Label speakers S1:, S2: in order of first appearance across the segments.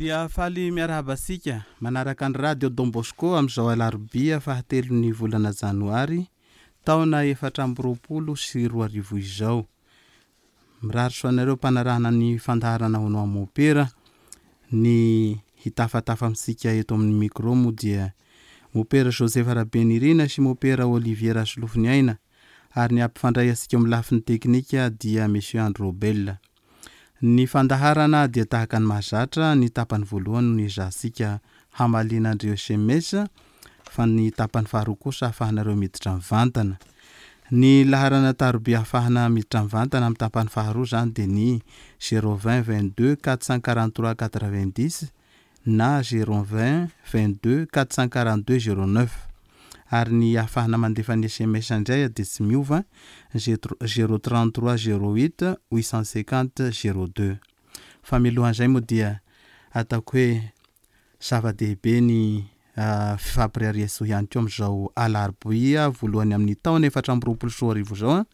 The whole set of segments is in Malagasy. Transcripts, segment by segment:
S1: Dia faly miarahaba antsika manaraka ny Radio Don Bosco amin'izao alarobia fahatelon'ny volana janoary taona 2024 izao. Mirary soa anareo mpanarahana ny fandaharana Hono Aho Mopera. Ny hitafatafa amintsika eto amin'ny micro moa dia Mopera Joseph Rabenirina sy Mopera Olivier Rasolofoniaina ary ny hampifandray antsika eo amin'ny lafiny teknika dia Monsieur Andry Robel. Ny fandaharana dia tahaka ny mahazatra, ny tapany voalohany no niezahantsika hamaliana an'ireo sms fa ny tapany faharoa kosa ahafahanareo miditra mivantana. Ny laharana taroby ahafahana miditra mivantana amin'ny tapany faharoa izany dia ny 020 22 443 90 na 020 22 442 09 ary ny ahafahana mandefa ny sms indray dia tsy miova 033 08 850 02 fa mialohan'izay moa dia ataoko hoe zava-dehibe ny fifampirehariantsoa ihany koa amin'izao alarobia voalohany amin'ny taona 2024 izao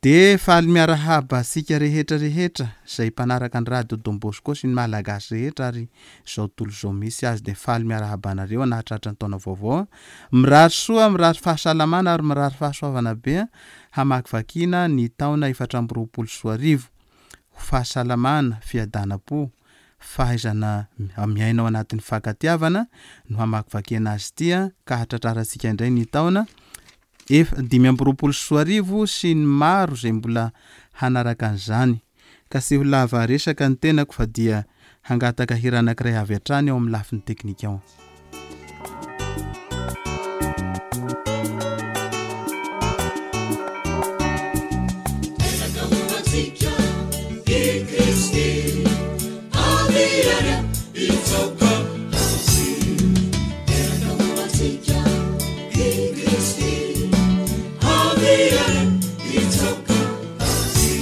S1: dia faly miarahaba antsika rehetra rehetra izay mpanaraka ny radio Don Bosco sy ny Malagasy rehetra ary izao tontolo izao misy azy dia faly miarahaba anareo nahatratra ny taona vaovao. Mirary soa, mirary fahasalamana ary mirary fahasoavana be hamakivakiana ny taona 2024. Ho fahasalamana, fiadanam-po, fahaizana miaina ao anatin'ny fankatiavana no hamakivakiana azy ity ka hahatratrarantsika indray ny taona ef 2025 sy ny maro izay mbola hanaraka an'izany. Ka tsy ho lava resaka ny tenako fa dia hangataka hira anankiray avy hatrany ao amin'ny lafiny teknika ao.
S2: Teraka ho antsika i Kristy, avia ary hitsaoka Azy. Teraka ho antsika i Kristy, avia ary hitsaoka Azy.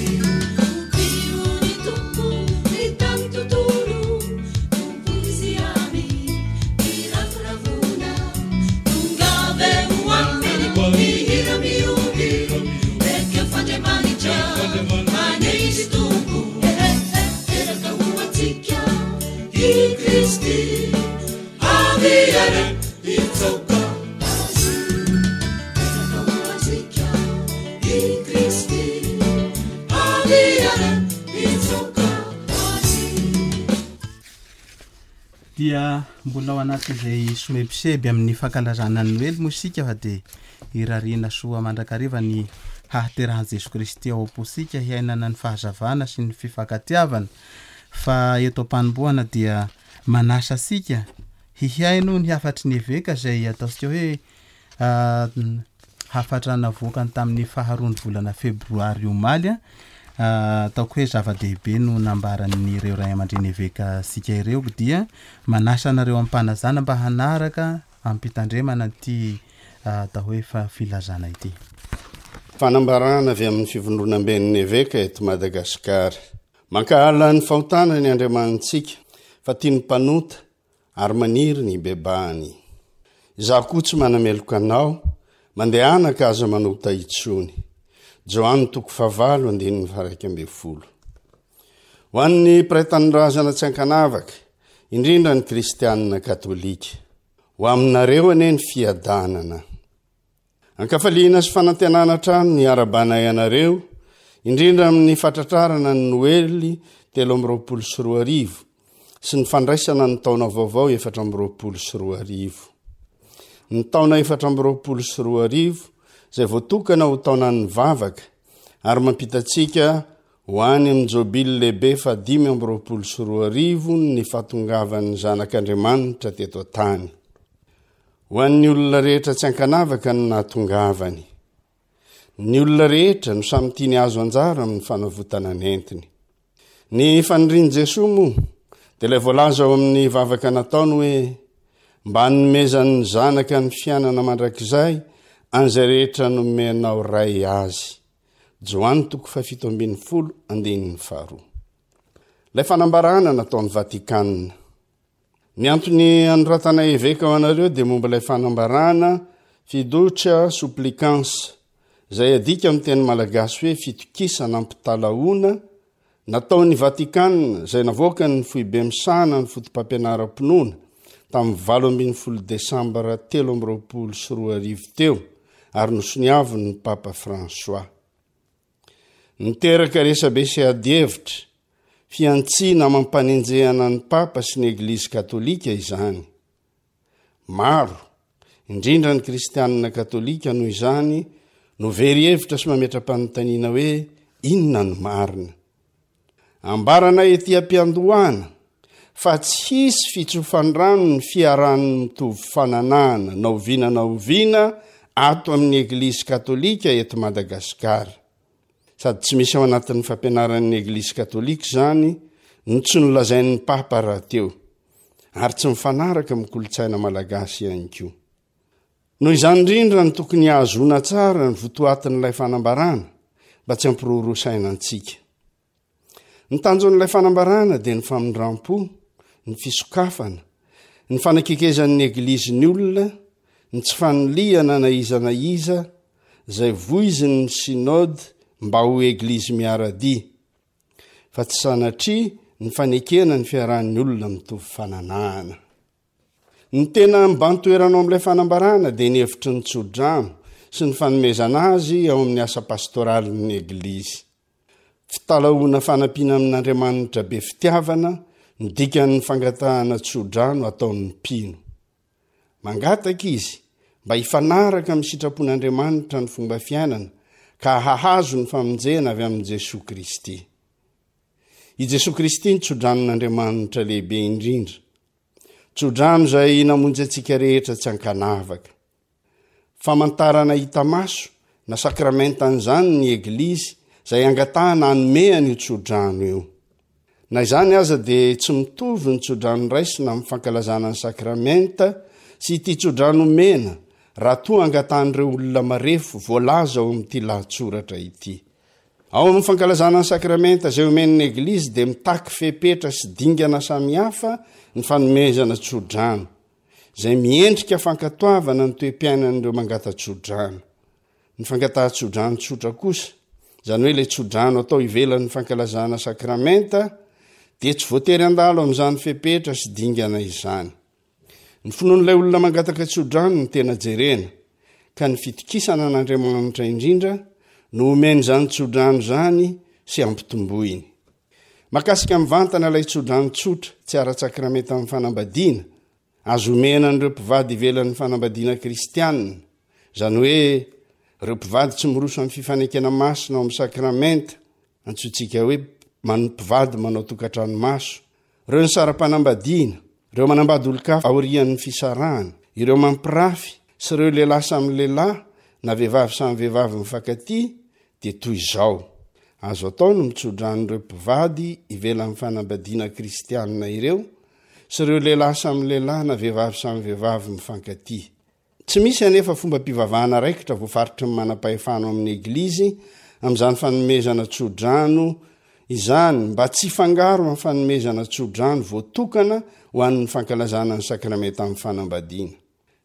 S2: Tokio ny Tompo ny tany tontolo, Tompo izy ihany iravoravoana. Tongava eo aminy mihira mioby, ekeo f'Andriamanitra maneho izy Tompo. Teraka ho antsika i Kristy, avia ary hitsaoka Azy. Teraka ho antsika i Kristy, avia ary hitsaoka Azy.
S1: Dia mbola ao anatin'izay somebiseby amin'ny fankalazana ny Noely moa isika fa dia irariana soa mandrakariva ny hahaterahan'i Jesoa Kristy ao am-pontsika hiainana ny fahazavana sy ny fifankatiavana fa eto am-panombohana dia manasa antsika hihaino ny hafatry ny eveka izay ataontsika hoe Hafatra navoakany tamin'ny faharoan'ny volana febroary omaly. Ataoko hoe zava-dehibe no nambaran'ireo ray aman-dreny eveka antsika ireo dia manasa anareo am-panajana mba hanaraka am-pitandremana ity atao hoe filazana ity.
S3: Fanambarana avy amin'ny Fivondronamben'ny Eveka eto Madagasikara. Mankahala ny fahotana ny Andriamanitsika, fa tia ny mpanota ary maniry ny hibebahany. Izaho koa tsy manameloka anao, mandehana ka aza manota intsony. Joany toko fahavalo andininy faha-11. Ho an'ny mpiray tanindrazana tsy ankanavaka, indrindra ny kristianina katolika, ho aminareo anie ny fiadanana. Ankafaliana sy fanantenana hatrany ny harabanay anareo, indrindra amin'ny fatratrarana ny Noely 2023 sy ny fandraisana ny taona vaovao 2024. Ny taona 2024 izay voatokana ho taonan'ny vavaka ary mampita antsika ho any amin'ny Jobily lehibe faha 2025 ny fahatongavan'ny Zanak'Andriamanitra teto an-tany. Ho an'ny olona rehetra tsy ankanavaka no nahatongavany. Ny olona rehetra no samy tiany hahazo anjara amin'ny fanavotana nentiny. Ny fanirian'i Jesoa moa dia ilay voalaza ao amin'ny vavaka nataony hoe mba hanomezan'ny Zanaka ny fiainana mandrakizay an'izay rehetra nomenao Ray azy. Joany toko faha-17 andininy faharoa. Ilay fanambarana nataon'i Vatikana. Ny antony anoratana eveka ho anareo dia momba ilay fanambarana Fiducia Supplicans, izay adika amin'ny teny malagasy hoe fitokisana ampitalahoana. nataon'i Vatikana izay navoakan'ny Foibe misahana ny Fotopampianaram-pinoana tamin'ny 18 desambra 2023 teo ary nosoniavin'ny Papa François. Niteraka resabe sy adihevitra, fihantsiana amam-panenjehana ny Papa sy ny Eglizy Katolika izany. Maro, indrindra ny kristianina katolika noho izany no very hevitra sy mametra-panontaniana hoe inona no marina. Ambaranay ety am-piandohana fa tsy hisy fitsofan-drano ny fiarahan'ny mitovy fananahana na oviana na oviana ato amin'ny Eglizy katolika eto Madagasikara. Sady tsy misy ao anatin'ny fampianaran'ny Eglizy katolika izany no tsy nolazain'ny Papa rahateo. ary tsy mifanaraka amin'ny kolontsaina malagasy ihany koa. Noho izany indrindra no tokony hahazoana tsara ny votoatin'ilay fanambarana mba tsy hampiroroa saina antsika. Ny tanjon'ilay fanambarana dia ny famindram-po, ny fisokafana, ny fanakekezan'ny Eglizy ny olona, ny tsy fanilihana na iza na iza izay voizin'ny Synode mba ho Eglizy miara-dia. fa tsy sanatria ny fanekena ny fiarahan'ny olona mitovy fananahana. Ny tena mibahan-toerana ao amin'ilay fanambarana dia ny hevitry ny tsodrano sy ny fanomezana azy ao amin'ny asa pastoralin'ny Eglizy. Fitalahoana fanampiana amin'Andriamanitra be fitiavana no dikan'ny fangatahana tsodrano ataon'ny mpino. Mangataka izy mba hifanaraka amin'ny sitrapon'Andriamanitra ny fomba fiainana ka hahazo ny famonjena avy amin'i Jesoa Kristy. I Jesoa Kristy no tsodranon'Andriamanitra lehibe indrindra. Tsodrano izay namonjy antsika rehetra tsy ankanavaka. Famantarana hita maso na sakramentan'izany ny Eglizy izay angatahana hanome an'io tsodrano io. Na izany aza dia tsy mitovy ny tsodrano raisina amin'ny fankalazana ny sakramenta sy ity tsodrano omena raha toa angatahan'ireo olona marefo voalaza ao amin'ity lahatsoratra ity. Ao amin'ny fankalazana ny sakramenta izay omen'ny Eglizy dia mitaky fepetra sy dingana samihafa ny fanomezana tsodrano. izay miendrika fankatoavana ny toe-piainan'ireo mangata-tsodrano. Ny fangatahan-tsodrano tsotra kosa, izany hoe ilay tsodrano atao ivelan'ny fankalazana sakramenta, dia tsy voatery handalo amin'izany fepetra sy dingana izany. Ny finoan'ilay olona mangataka tsodrano no tena jerena, ka ny fitokisana an'Andriamanitra indrindra no omeny izany tsodrano izany sy ampitomboiny. Mahakasika mivantana ilay tsodrano tsotra tsy ara-tsakramenta amin'ny fanambadiana, azo omena an'ireo mpivady ivelan'ny fanambadiana kristianina, izany hoe ireo mpivady tsy miroso amin'ny fifanekena masina ao amin'ny sakramenta, antsointsika hoe mpivady manao tokantrano maso, ireo nisara-panambadiana, ireo manambady olon-kafa aorian'ny fisarahana, ireo mampirafy sy ireo lehilahy samy lehilahy na vehivavy samy vehivavy mifankatia dia toy izao, Azo atao ny mitsodrano ireo mpivady ivelan'ny fanambadiana kristianina ireo sy ireo lehilahy samy lehilahy na vehivavy samy vehivavy mifankatia. Tsy misy anefa fombam-pivavahana raikitra voafaritry ny manam-pahefana ao amin'ny Eglizy amin'izany fanomezana tsodrano izany mba tsy hifangaro amin'ny fanomezana tsodrano voatokana ho an'ny fankalazana ny sakramentan'ny fanambadiana.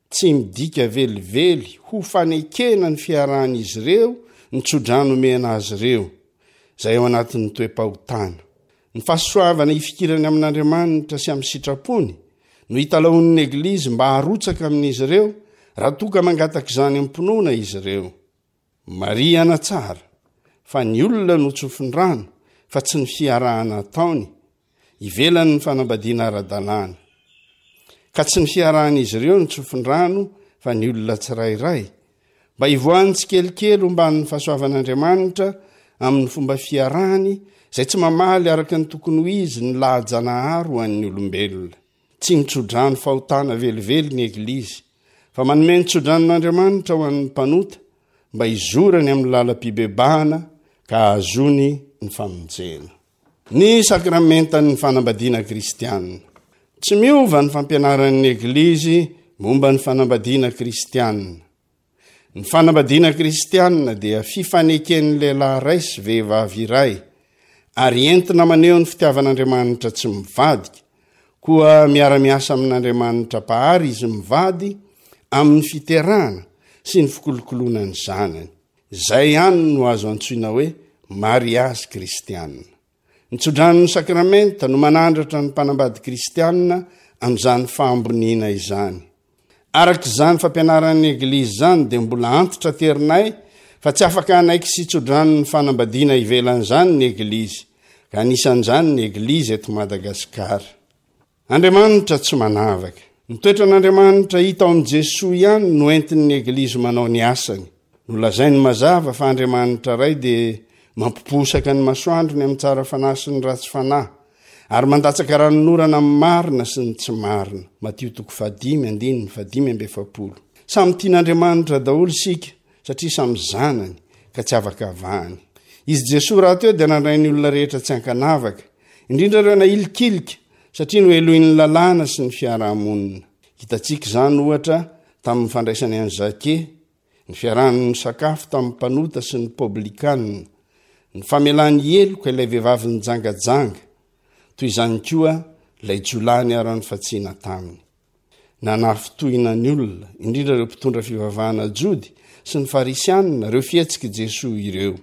S3: Tsy midika velively ho fanekena ny fiarahan'izy ireo ny tsodrano omena azy ireo, izay ao anatin'ny toe-pahotana. Ny fahasoavana ifikirany amin'Andriamanitra sy amin'ny sitrapony no italahoan'ny Eglizy mba harotsaka amin'izy ireo raha toa ka mangataka izany am-pinoana izy ireo. Marihana tsara fa ny olona no tsofin-drano fa tsy ny fiarahana ataony ivelan'ny fanambadiana ara-dalàna. Ka tsy ny fiarahan'izy ireo no tsofin-drano fa ny olona tsirairay, mba hivoahany tsikelikely homban'ny fahasoavan'Andriamanitra amin'ny fomba fiarahany izay tsy mamaly araka ny tokony ho izy ny laha-janahary ho an'ny olombelona. Tsy mitsodrano fahotana velively ny Eglizy, fa manome ny tsodranon'Andriamanitra ho an'ny mpanota mba hizorany amin'ny lalam-pibebahana ka hahazoany ny famonjena. Ny sakramentan'ny fanambadiana kristiana. Tsy miova ny fampianaran'ny Eglizy momba ny fanambadiana kristiana. Ny fanambadiana kristiana dia fifaneken'ny lehilahy iray sy vehivavy iray, ary entina maneho ny fitiavan'Andriamanitra tsy mivadika, koa miara-miasa amin'Andriamanitra Mpahary izy mivady amin'ny fiterahana sy ny fikolokoloana ny zanany. Izay ihany no azo antsoina hoe mariazy kristiana. Ny tsodranon'ny sakramenta no manandratra ny mpanambady kristianina amin'izany fahamboniana izany. Araka izany fampianaran'ny Eglizy izany dia mbola antitra terinay fa tsy afaka hanaiky sy hitsodrano ny fanambadiana ivelan'izany ny Eglizy, ka anisan'izany ny Eglizy eto Madagasikara. Andriamanitra tsy manavaka. Ny toetran'Andriamanitra hita ao amin'i Jesoa ihany no entin'ny Eglizy manao ny asany. Nolazainy mazava fa Andriamanitra Ray dia mampiposaka ny masoandrony amin'ny tsara fanahy sy ny ratsy fanahy, ary mandatsaka ranonorana amin'ny marina sy ny tsy marina. Matio toko fahadimy andininy fahadimy amby efapolo. Samy tian'Andriamanitra daholo isika satria samy zanany ka tsy afaka avahany. Izy Jesoa rahateo dia nandray ny olona rehetra tsy ankanavaka, indrindra ireo nahilikilika satria nohelohin'ny lalàna sy ny fiarahamonina. Hitantsika izany ohatra tamin'ny fandraisany an'i Zake, ny fiarahany misakafo tamin'ny mpanota sy ny poblikanina, ny famelany heloka ilay vehivavy nijangajanga, toy izany koa ilay jiolahy niharan'ny fatsiana taminy. Nanafintohina ny olona, indrindra ireo mpitondra fivavahana jody sy ny farisianina, ireo fihetsik'i Jesoa ireo.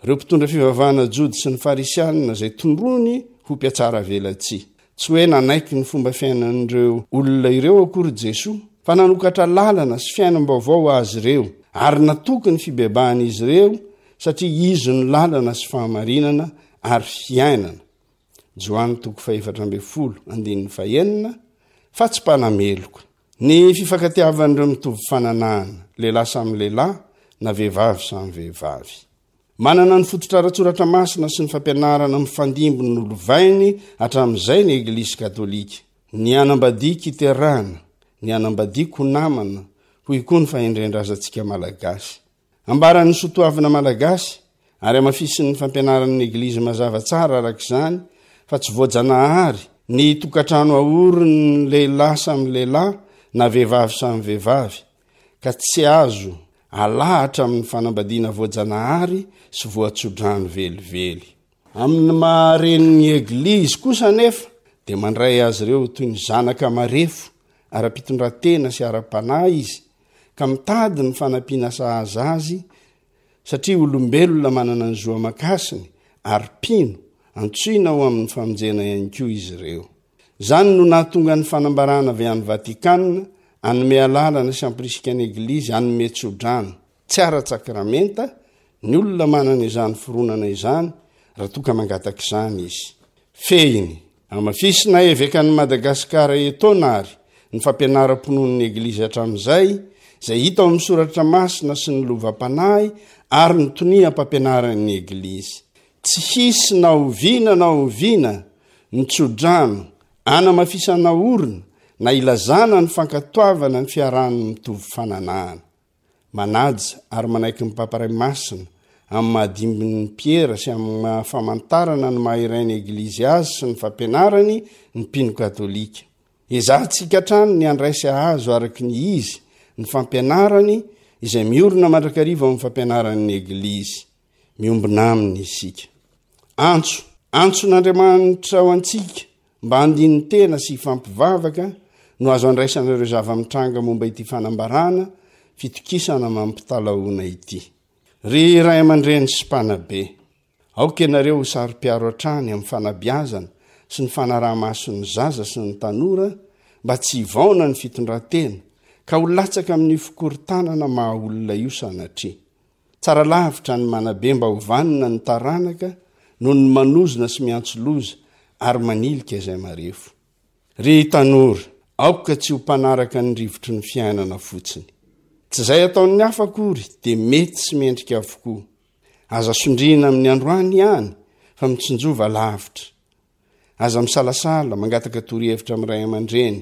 S3: Ireo mpitondra fivavahana jody sy ny farisianina izay tondroiny ho mpihatsaravelatsihy. Tsy hoe nanaiky ny fomba fiainan'ireo olona ireo akory Jesoa, fa nanokatra lalana sy fiainam-baovao ho azy ireo, ary natoky ny fibebahan'izy ireo satria Izy no lalana sy fahamarinana ary fiainana, Joany toko fahefatra ambin'ny folo andininy fahenina, fa tsy mpanameloka. Ny fifankatiavan'ireo mitovy fananahana, lehilahy samy lehilahy na vehivavy samy vehivavy. Manana ny fototra ara-tsoratra masina sy ny fampianarana mifandimby nolovainy hatramin'izay ny Eglizy Katolika. Ny hanambadiako hiterahana, ny hanambadiako ho namana, hoy koa ny fahendren-drazantsika malagasy. Ambaran'ny soatoavina malagasy ary hamafisin'ny fampianaran'ny Eglizy mazava tsara araka izany fa tsy voajanahary ny tokantrano aorin'ny lehilahy samy lehilahy na vehivavy samy vehivavy ka tsy azo alahatra amin'ny fanambadiana voajanahary sy voatsodrano velively. Amin'ny maha renin'ny Eglizy kosa anefa dia mandray azy ireo toy ny zanaka marefo ara-pitondran-tena sy ara-panahy izy ka mitady ny fanampiana sahaza azy satria olombelona manana ny zo aman-kasiny ary mpino antsoina ho amin'ny famonjena ihany koa izy ireo. Izany no nahatonga ny fanambarana avy any Vatikana hanome alalana sy hampirisika ny Eglizy hanome tsodrano, tsy ara-tsakramenta, ny olona manana izany fironana izany raha toa ka mangataka izany izy. Fehiny, hamafisina Evekan'i Madagasikara etoana ary ny fampianaram-pinoan'ny Eglizy hatramin'izay, izay hita ao amin'ny Soratra Masina sy ny lovam-panahy ary ny toniam-pampianaran'ny Eglizy. Tsy hisy na oviana na oviana ny tsodrano anamafisana orina na ilazana ny fankatoavana ny fiarahan'ny mitovy fananahana. Manaja ary manaiky ny Papa Ray Masina amin'ny maha dimbin'i Piera sy amin'ny maha famantarana ny maha iray ny Eglizy azy sy ny fampianarany ny mpino katolika. Ezahantsika hatrany ny handray sy hahazo araka ny izy ny fampianarany izay miorina mandrakariva ao amin'ny fampianaran'ny Eglizy. Miombona aminy isika. Antso, antson'Andriamanitra ho antsika mba handini-tena sy hifampivavaka no azo andraisana ireo zava-mitranga momba ity fanambarana fitokisana mampitalahoana ity. Ry ray aman-dreny sy mpanabe, aoka ianareo ho saro-piaro hatrany amin'ny fanabeazana sy ny fanaraha-maso ny zaza sy ny tanora mba tsy hivaona ny fitondran-tena ka ho latsaka amin'io fikorontanana maha-olona io sanatria. Tsara lavitra ny manabe mba ho vanona ny taranaka noho ny manozona sy miantso loza ary manilika izay marefo. Ry tanora, aoka tsy ho mpanaraka ny rivotry ny fiainana fotsiny. Tsy izay ataon'ny hafa akory dia mety sy mendrika avokoa. Aza sondriana amin'ny androany ihany fa mitsinjova lavitra. Aza misalasala mangataka torohevitra amin'ny ray aman-dreny,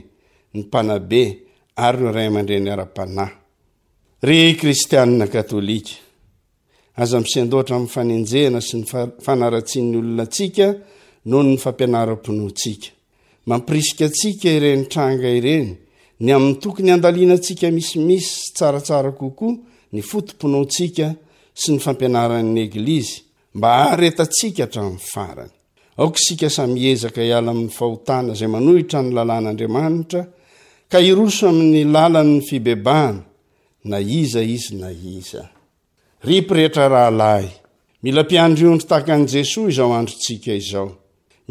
S3: ny mpanabe ary ireo ray aman-dreny ara-panahy. Ry kristianina katolika, aza misendoatra amin'ny fanenjehana sy ny fanaratsian'ny olona antsika noho ny fampianaram-pinoantsika. Mampirisika antsika ireny tranga ireny ny amin'ny tokony handalinantsika misimisy sy tsaratsara kokoa ny foto-pinoantsika sy ny fampianaran'ny Eglizy mba haharetantsika hatramin'ny farany. Aoka isika samy hiezaka hiala amin'ny fahotana izay manohitra ny lalàn'Andriamanitra ka hiroso amin'ny lalan'ny fibebahana, na iza izy na iza. Ry pretra rahalahy, mila mpiandry ondry tahaka an'i Jesoa izao androntsika izao.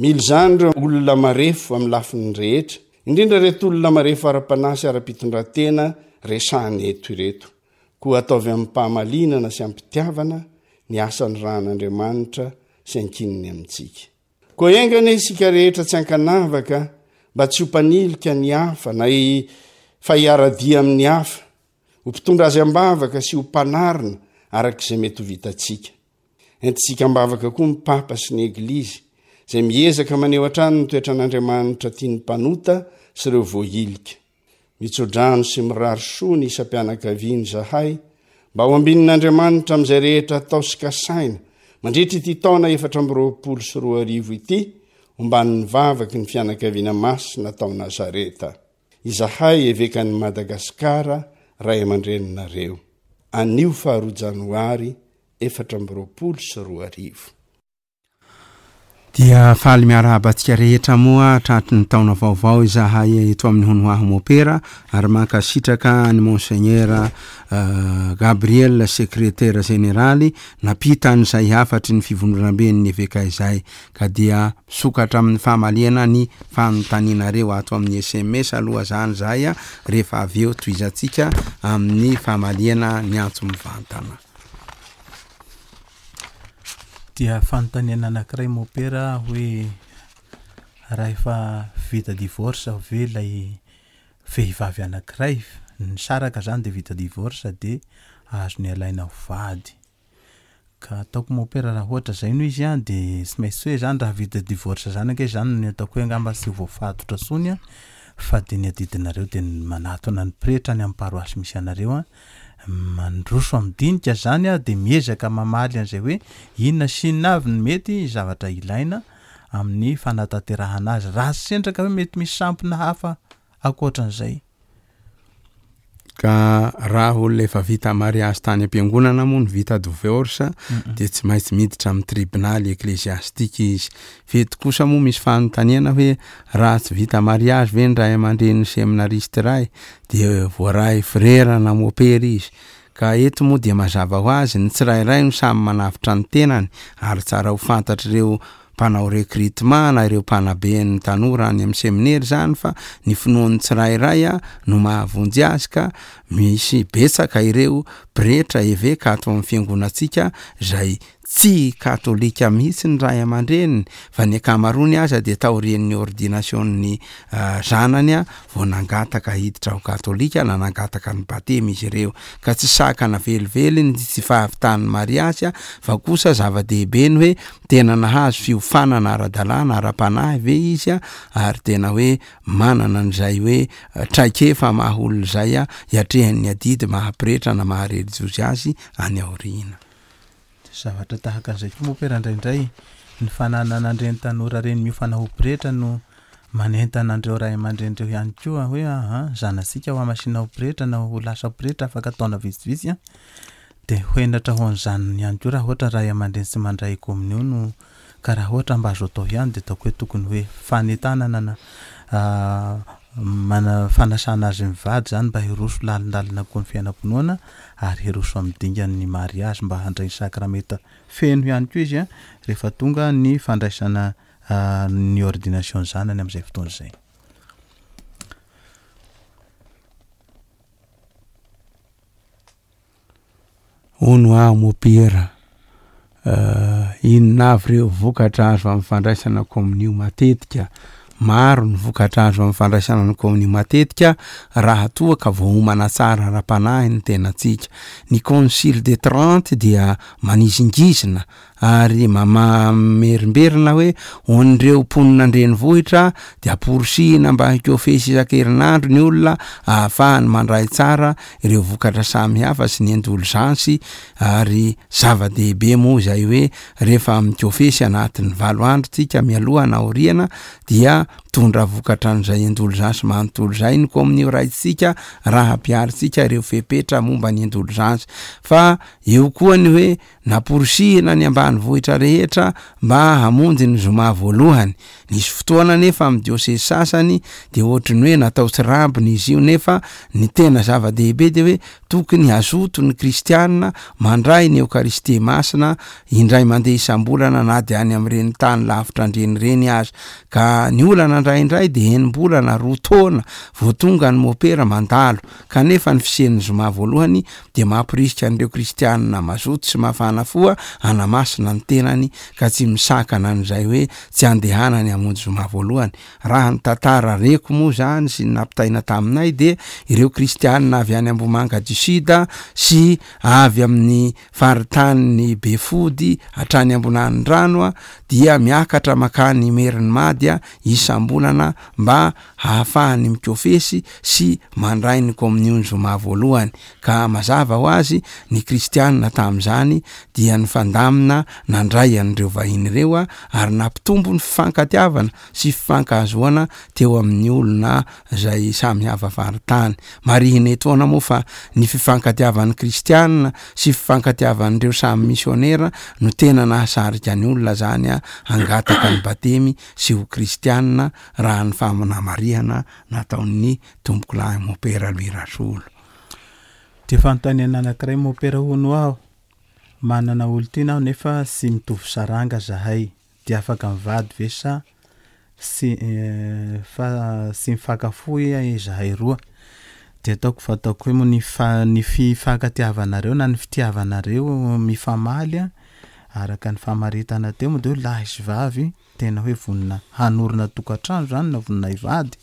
S3: Mila izany ireo olona marefo amin'ny lafiny rehetra, indrindra ireto olona marefo ara-panahy sy ara-pitondran-tena resahina eto ireto. Koa ataovy amim-pahamalinana sy am-pitiavana ny asa nirahan'Andriamanitra sy ankininy amintsika. Koa enga anie isika rehetra tsy ankanavaka mba tsy ho mpanilika ny hafa na fa hiara-dia amin'ny hafa, ho mpitondra azy am-bavaka sy ho mpanarina araka izay mety ho vitantsika. Entintsika am-bavaka koa ny Papa sy ny Eglizy, izay miezaka maneho hatrany ny toetran'Andriamanitra tia ny mpanota sy ireo voahilika. Mitsodrano sy mirary soa ny isam-pianakaviana izahay mba ho ambinin'Andriamanitra amin'izay rehetra atao sy kasaina mandritra ity taona 2024 ity, omban'ny vavaky ny fianakaviana masina tao Nazareta. Izahay Evekan'i Madagasikara ray aman-dreninareo. Anio faharoa janoary 2024.
S1: Dia faly miarahaba antsika rehetra moa tratry ny taona vaovao izahay eto amin'ny Hono Hoaho Mopera ary mankasitraka an'i Monseigneur Gabriel Sekretera Jeneraly nampita an'izay hafatry ny fivondronamben'ny Eveka izay ka dia Misokatra amin'ny famaliana ny fanontanianareo ato amin'ny sms aloha zany zahay a, rehefa avy eo tohizantsika amin'ny famaliana ny antso mivantana.
S4: Dia fanontaniana anankiray mopera hoe raha efa vita divorce ve ilay vehivavy anankiray nisaraka zany de vita divorce de azony alaina ho vady. Ka ataoko mopera raha ohatra zay no izy an de tsy maintsy hoe zany raha vita divorce zany ange zany ny ataoko hoe angamba tsy ho voafatotra tsony an fa de ny adidinareo de ny manatona ny pretra any amin'ny paroasy misy anareo an, mandroso amin'ny dinika zany an de miezaka mamaly an'izay hoe inona sy inona avy ny mety zavatra ilaina amin'ny fanatanterahana azy raha sendra ka hoe mety misy sampona hafa ankoatran'izay.
S1: Ka raha olona efa vita mariazy tany am-piangonana moa no vita divorce dia tsy maintsy miditra amin'ny tribonaly ecclesiastique izy. Fa eto kosa moa misy fanontaniana hoe raha tsy vita mariazy ve ny ray aman-drenin'ny seminariste iray dia voaray frera na mopera izy. Ka eto moa dia mazava ho azy ny tsirairay no samy manavotra ny tenany ary tsara ho fantatr'ireo mpanao recrutement na ireo mpanabe ny tanora any amin'ny seminera izany fa ny finoan'ny tsirairay no mahavonjy azy ka misy betsaka ireo pretra, eveka ato amin'ny fiangonantsika izay tsy katolika mihitsy ny ray aman-dreniny fa ny ankamaroany aza dia taorian'ny ordination-n'ny zanany vao nangataka hiditra ho katolika na nangataka ny batemy izy ireo ka tsy sakana velively ny tsy fahavitan'ny mariazy fa kosa zava-dehibe ny hoe tena nahazo fiofanana ara-dalàna ara-panahy ve izy ary tena hoe manana an'izay hoe traikefa maha olona izay hiatrehany ny adidy maha pretra na maha relijiozy azy any aoriana.
S4: Zavatra tahaka an'izay koa moa pera indraindray ny fananana an'ireny tanora ireny miofana ho pretra no manentana an'ireo ray aman-dreny ireo ihany koa hoe aha zanatsika ho hamasinina ho pretra na ho lasa pretra afaka taona vitsivitsy an, dia ho henatra ho an'izany ihany koa raha ohatra ray aman-dreny tsy mandray kominio no ka raha ohatra mba azo atao ihany dia ataoko hoe tokony hoe fanentanana na mana fanasana azy mivady izany mba hiroso lalindalina koa ny fiainam-pinoana ary hiroso amin'ny dingan'ny mariazy mba handray ny sakramenta feno ihany koa izy rehefa tonga ny fandraisana ny ordination zanany amin'izay fotoana izay.
S1: Hono aho mopera, inona avy ireo vokatra azo amin'ny fandraisana komonio matetika? Maro ny vokatra azo amin'ny fandraisana ny komonio matetika raha toa ka voaomana tsara ara-panahy ny tenantsika. Ny Concile de Trente dia manizingizina ary mamerimberina hoe ho an'ireo mponina an-drenivohitra dia amporisihina mba hikofesy isan-kerinandro ny olona ahafahany mandray tsara ireo vokatra samihafa sy ny indolzansy ary zava-dehibe moa izay hoe rehefa mikofesy anatin'ny valo andro tsika mialoha na aoriana dia mitondra vokatra an'izay indolzansy manontolo izay ny kominio raintsika raha ampiharintsika ireo fepetra momba ny indolzansy fa eo koa ny hoe.
S5: Namporisihina ny ambanivohitra rehetra mba hamonjy ny zoma voalohany. Nisy fotoana anefa amin'ny diosezy sasany dia ohatry ny hoe natao tsirambina izy io nefa ny tena zava-dehibe dia hoe tokony hazoto ny kristiana mandray ny Eokaristia Masina indray mandeha isam-bolana na dia any amin'ireny tany lavitra andreny ireny aza. Ka ny olana indraindray dia enim-bolana, roa taona vao tonga ny mopera mandalo. Kanefa ny fisian'ny zoma voalohany dia mamporisika an'ireo kristianina mazoto sy mafana fo hanamasina ny tenany ka tsy misakana an'izay hoe tsy andehanany hamonjy zoma voalohany. Raha ny tantara reko moa izany sy ny nampitaina taminay dia ireo kristianina avy any Ambohimanga du Sud sy avy amin'ny faritanin'i Befody hatrany Ambonanindrano dia miakatra makany Imerinimady isam-bolana mba hahafahany mikofesy sy mandray ny komonio ny zoma voalohany, ka mazava ho azy ny kristianina tamin'izany dia nifandamina nandray an'ireo vahiny ireo ary nampitombo ny fifankatiavana sy fifankahazoana teo amin'ny olona izay samy hafa faritany. Marihina etoana moa fa ny fifankatiavan'ny kristianina sy fifankatiavan'ireo samy misionera no tena nahasarika ny olona izany hangataka ny batemy sy ho kristianina raha ny famonamarihana nataon'ny Tompokolahy Mompera Louis Rasolo.
S1: Dia fanontaniana anankiray Mompera hono aho, manana olon-tiana aho nefa tsy mitovy saranga zahay, dia afaka mivady ve sa tsy fa tsy mifankafohy izahay roa? Dia ataoko fa ataoko hoe moa ny fa ny fifankatiavanareo na ny fitiavanareo mifamaly araka ny famaritana teo moa dia hoe lahy sy vavy tena hoe vonona hanorina tokantrano zany na vonona hivady,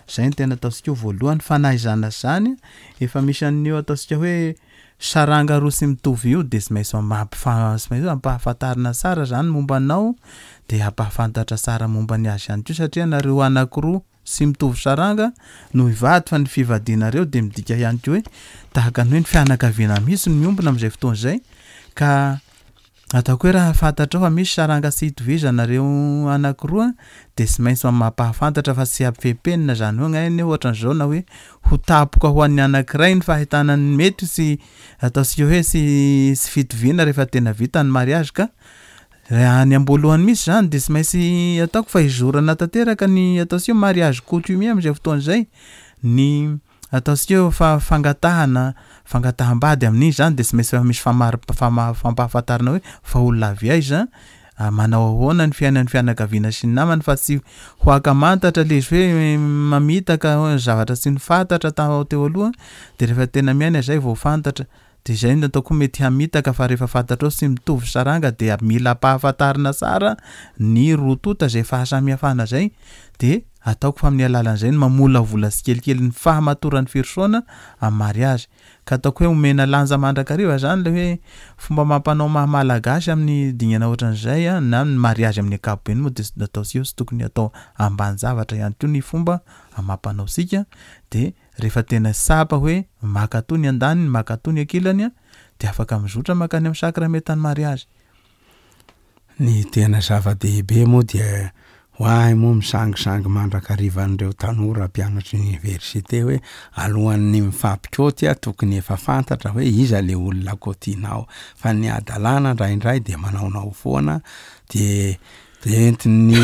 S1: zay no tena ataontsika hoe voalohany, fa na izany na izany efa misy an'io ataontsika hoe saranga roa tsy mitovy io de tsy maintsy mampifa- tsy maintsy hoe ampahafantarina tsara zany momba anao de ampahafantatra tsara momba ny azy ihany koa satria nareo anakiroa tsy mitovy saranga no hivady fa ny fivadianareo de midika ihany koa hoe tahaka ny hoe ny fianakaviana mihitsy no miombona am'zay fotoana zay ka Ataoko hoe raha fantatrao fa misy saranga tsy itovizanareo anakiroa dia tsy maintsy mampahafantatra fa tsy ampifepenina izany hoe anie ohatran'izao na hoe ho tapoka ho an'ny anakiray ny fahitana ny mety sy ataontsika hoe tsy tsy fitoviana rehefa tena vita ny mariage ka raha any am-boalohany mihitsy izany dia tsy maintsy ataoko fa hizorana tanteraka ny ataontsika hoe mariage coutumier amin'izay fotoana izay ny Ataontsika hoe fa fangatahana, fangataham-bady amin'iny izany dia tsy maintsy efa misy famari- fama- fampahafantarana hoe fa olona avy aiza, manao ahoana ny fiainan'ny fianakaviana sy ny namany fa tsy ho ankamantatra ilay izy hoe mamitaka zavatra tsy nifantatra tao teo aloha dia rehefa tena miaina izay vao fantatra. Dia izay no ataoko hoe mety hamitaka fa rehefa fantatrao tsy mitovy saranga dia mila ampahafantarina tsara ny roa tonta izay fahasamihafana izay dia ataoko fa amin'ny alalan'izay no mamolavola tsikelikely ny fahamatoran'ny firosoana amin'ny mariazy. Ka ataoko hoe omena lanja mandrakariva izany ilay hoe fomba amam-panao maha malagasy amin'ny dingana ohatran'izay na ny mariazy amin'ny ankapobeny moa dia ataontsika hoe tsy tokony atao ambanin-javatra ihany koa ny fomba amam-panaontsika dia Rehefa tena tsapa hoe mankatò ny andaniny, mankatò ny ankilany dia afaka mizotra mankany amin'ny sakramentan'ny mariazy.
S5: Ny tena zava-dehibe moa dia ho ahy moa misangisangy mandrakariva an'ireo tanora mpianatry ny université hoe alohan'ny mifampikaoty tokony efa fantatra hoe iza le olona kaotianao fa ny hadalana indraindray dia manaonao foana dia De entin'ny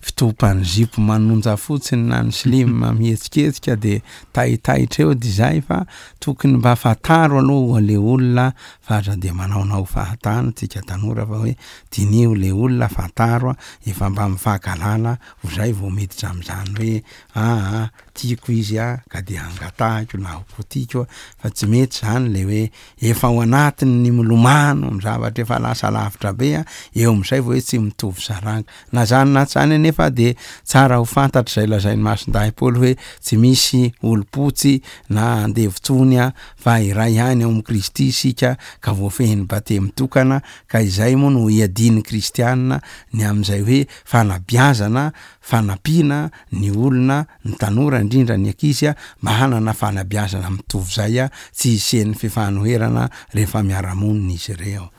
S5: fitopan'ny zipo manonja fotsiny na ny slim mihetsiketsika de taitaitra eo de zay fa tokony mba fantaro aloha le olona fa aza de manaonao fahatany tsika tanora fa hoe diniho le olona fantaro efa mba mifankahalala ho zay vao miditra am'zany hoe aa tiako izy a ka de angatahiko na ho kotiko fa tsy mety zany le hoe efa ao anatin'ny milomano amin'ny zavatra efa lasa lavitra be a, eo amin'izay vao hoe tsy mitovy saranga. Na zany na tsy zany anefa de tsara ho fantatra izay lazain'i Masindahy Paoly hoe tsy misy olom-potsy na andevo tsony a, fa iray ihany ao amin'i Kristy isika ka voafehin'ny batemy tokana, ka izay moa no iadian'ny kristianina ny amin'izay hoe fanabeazana, fanampiana ny olona ny tanora indrindra ny ankizy mba hanana fanabeazana mitovy izay tsy hisian'ny fifanoherana rehefa miara-monina izy ireo.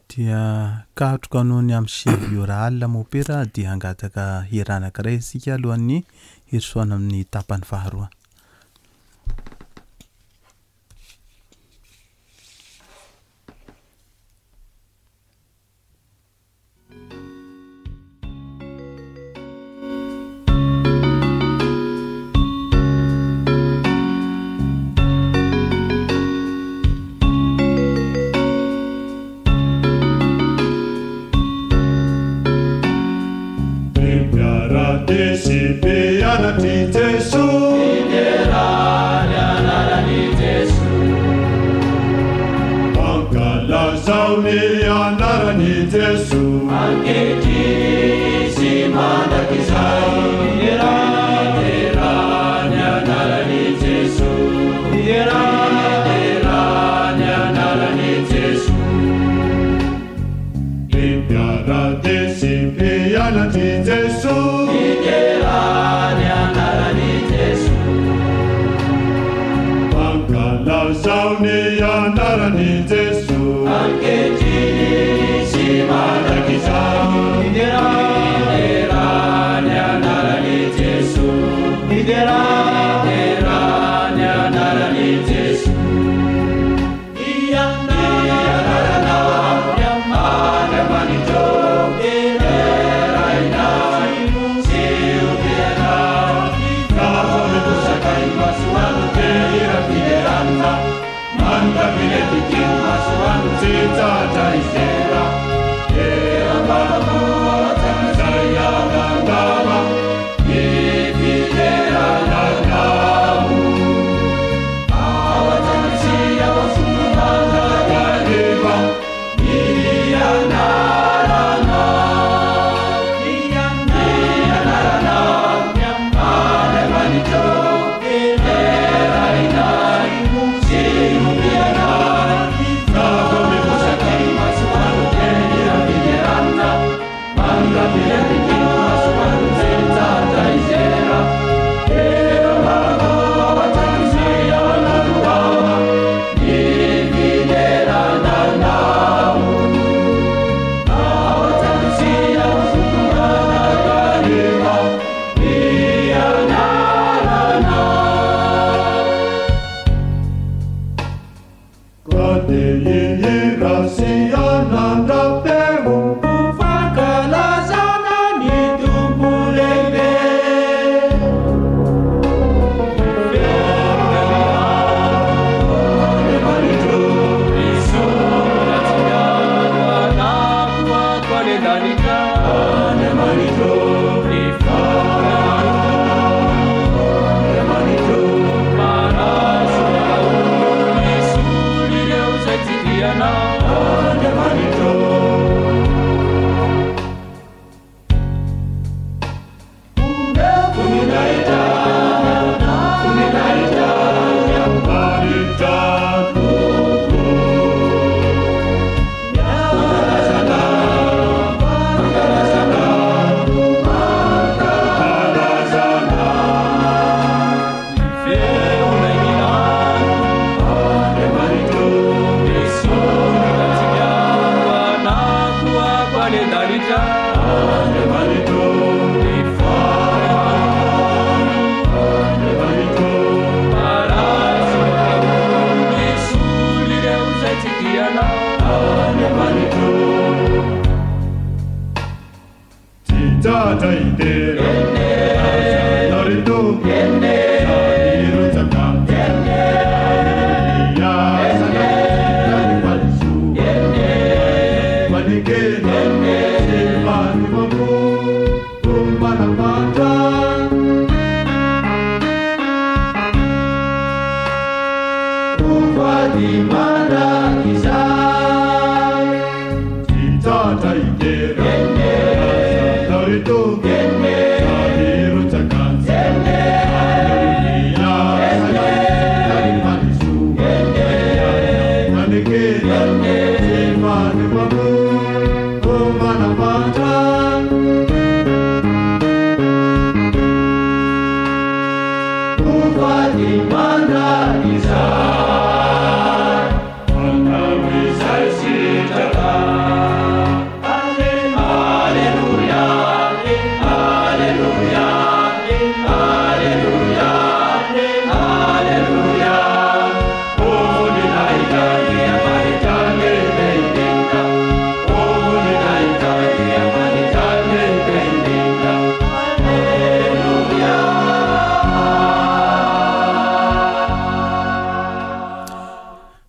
S1: Dia katroka noho ny amin'ny sivy ora alina mopera dia hangataka hira anankiray isika alohan'ny hirosoana amin'ny tapany faharoa.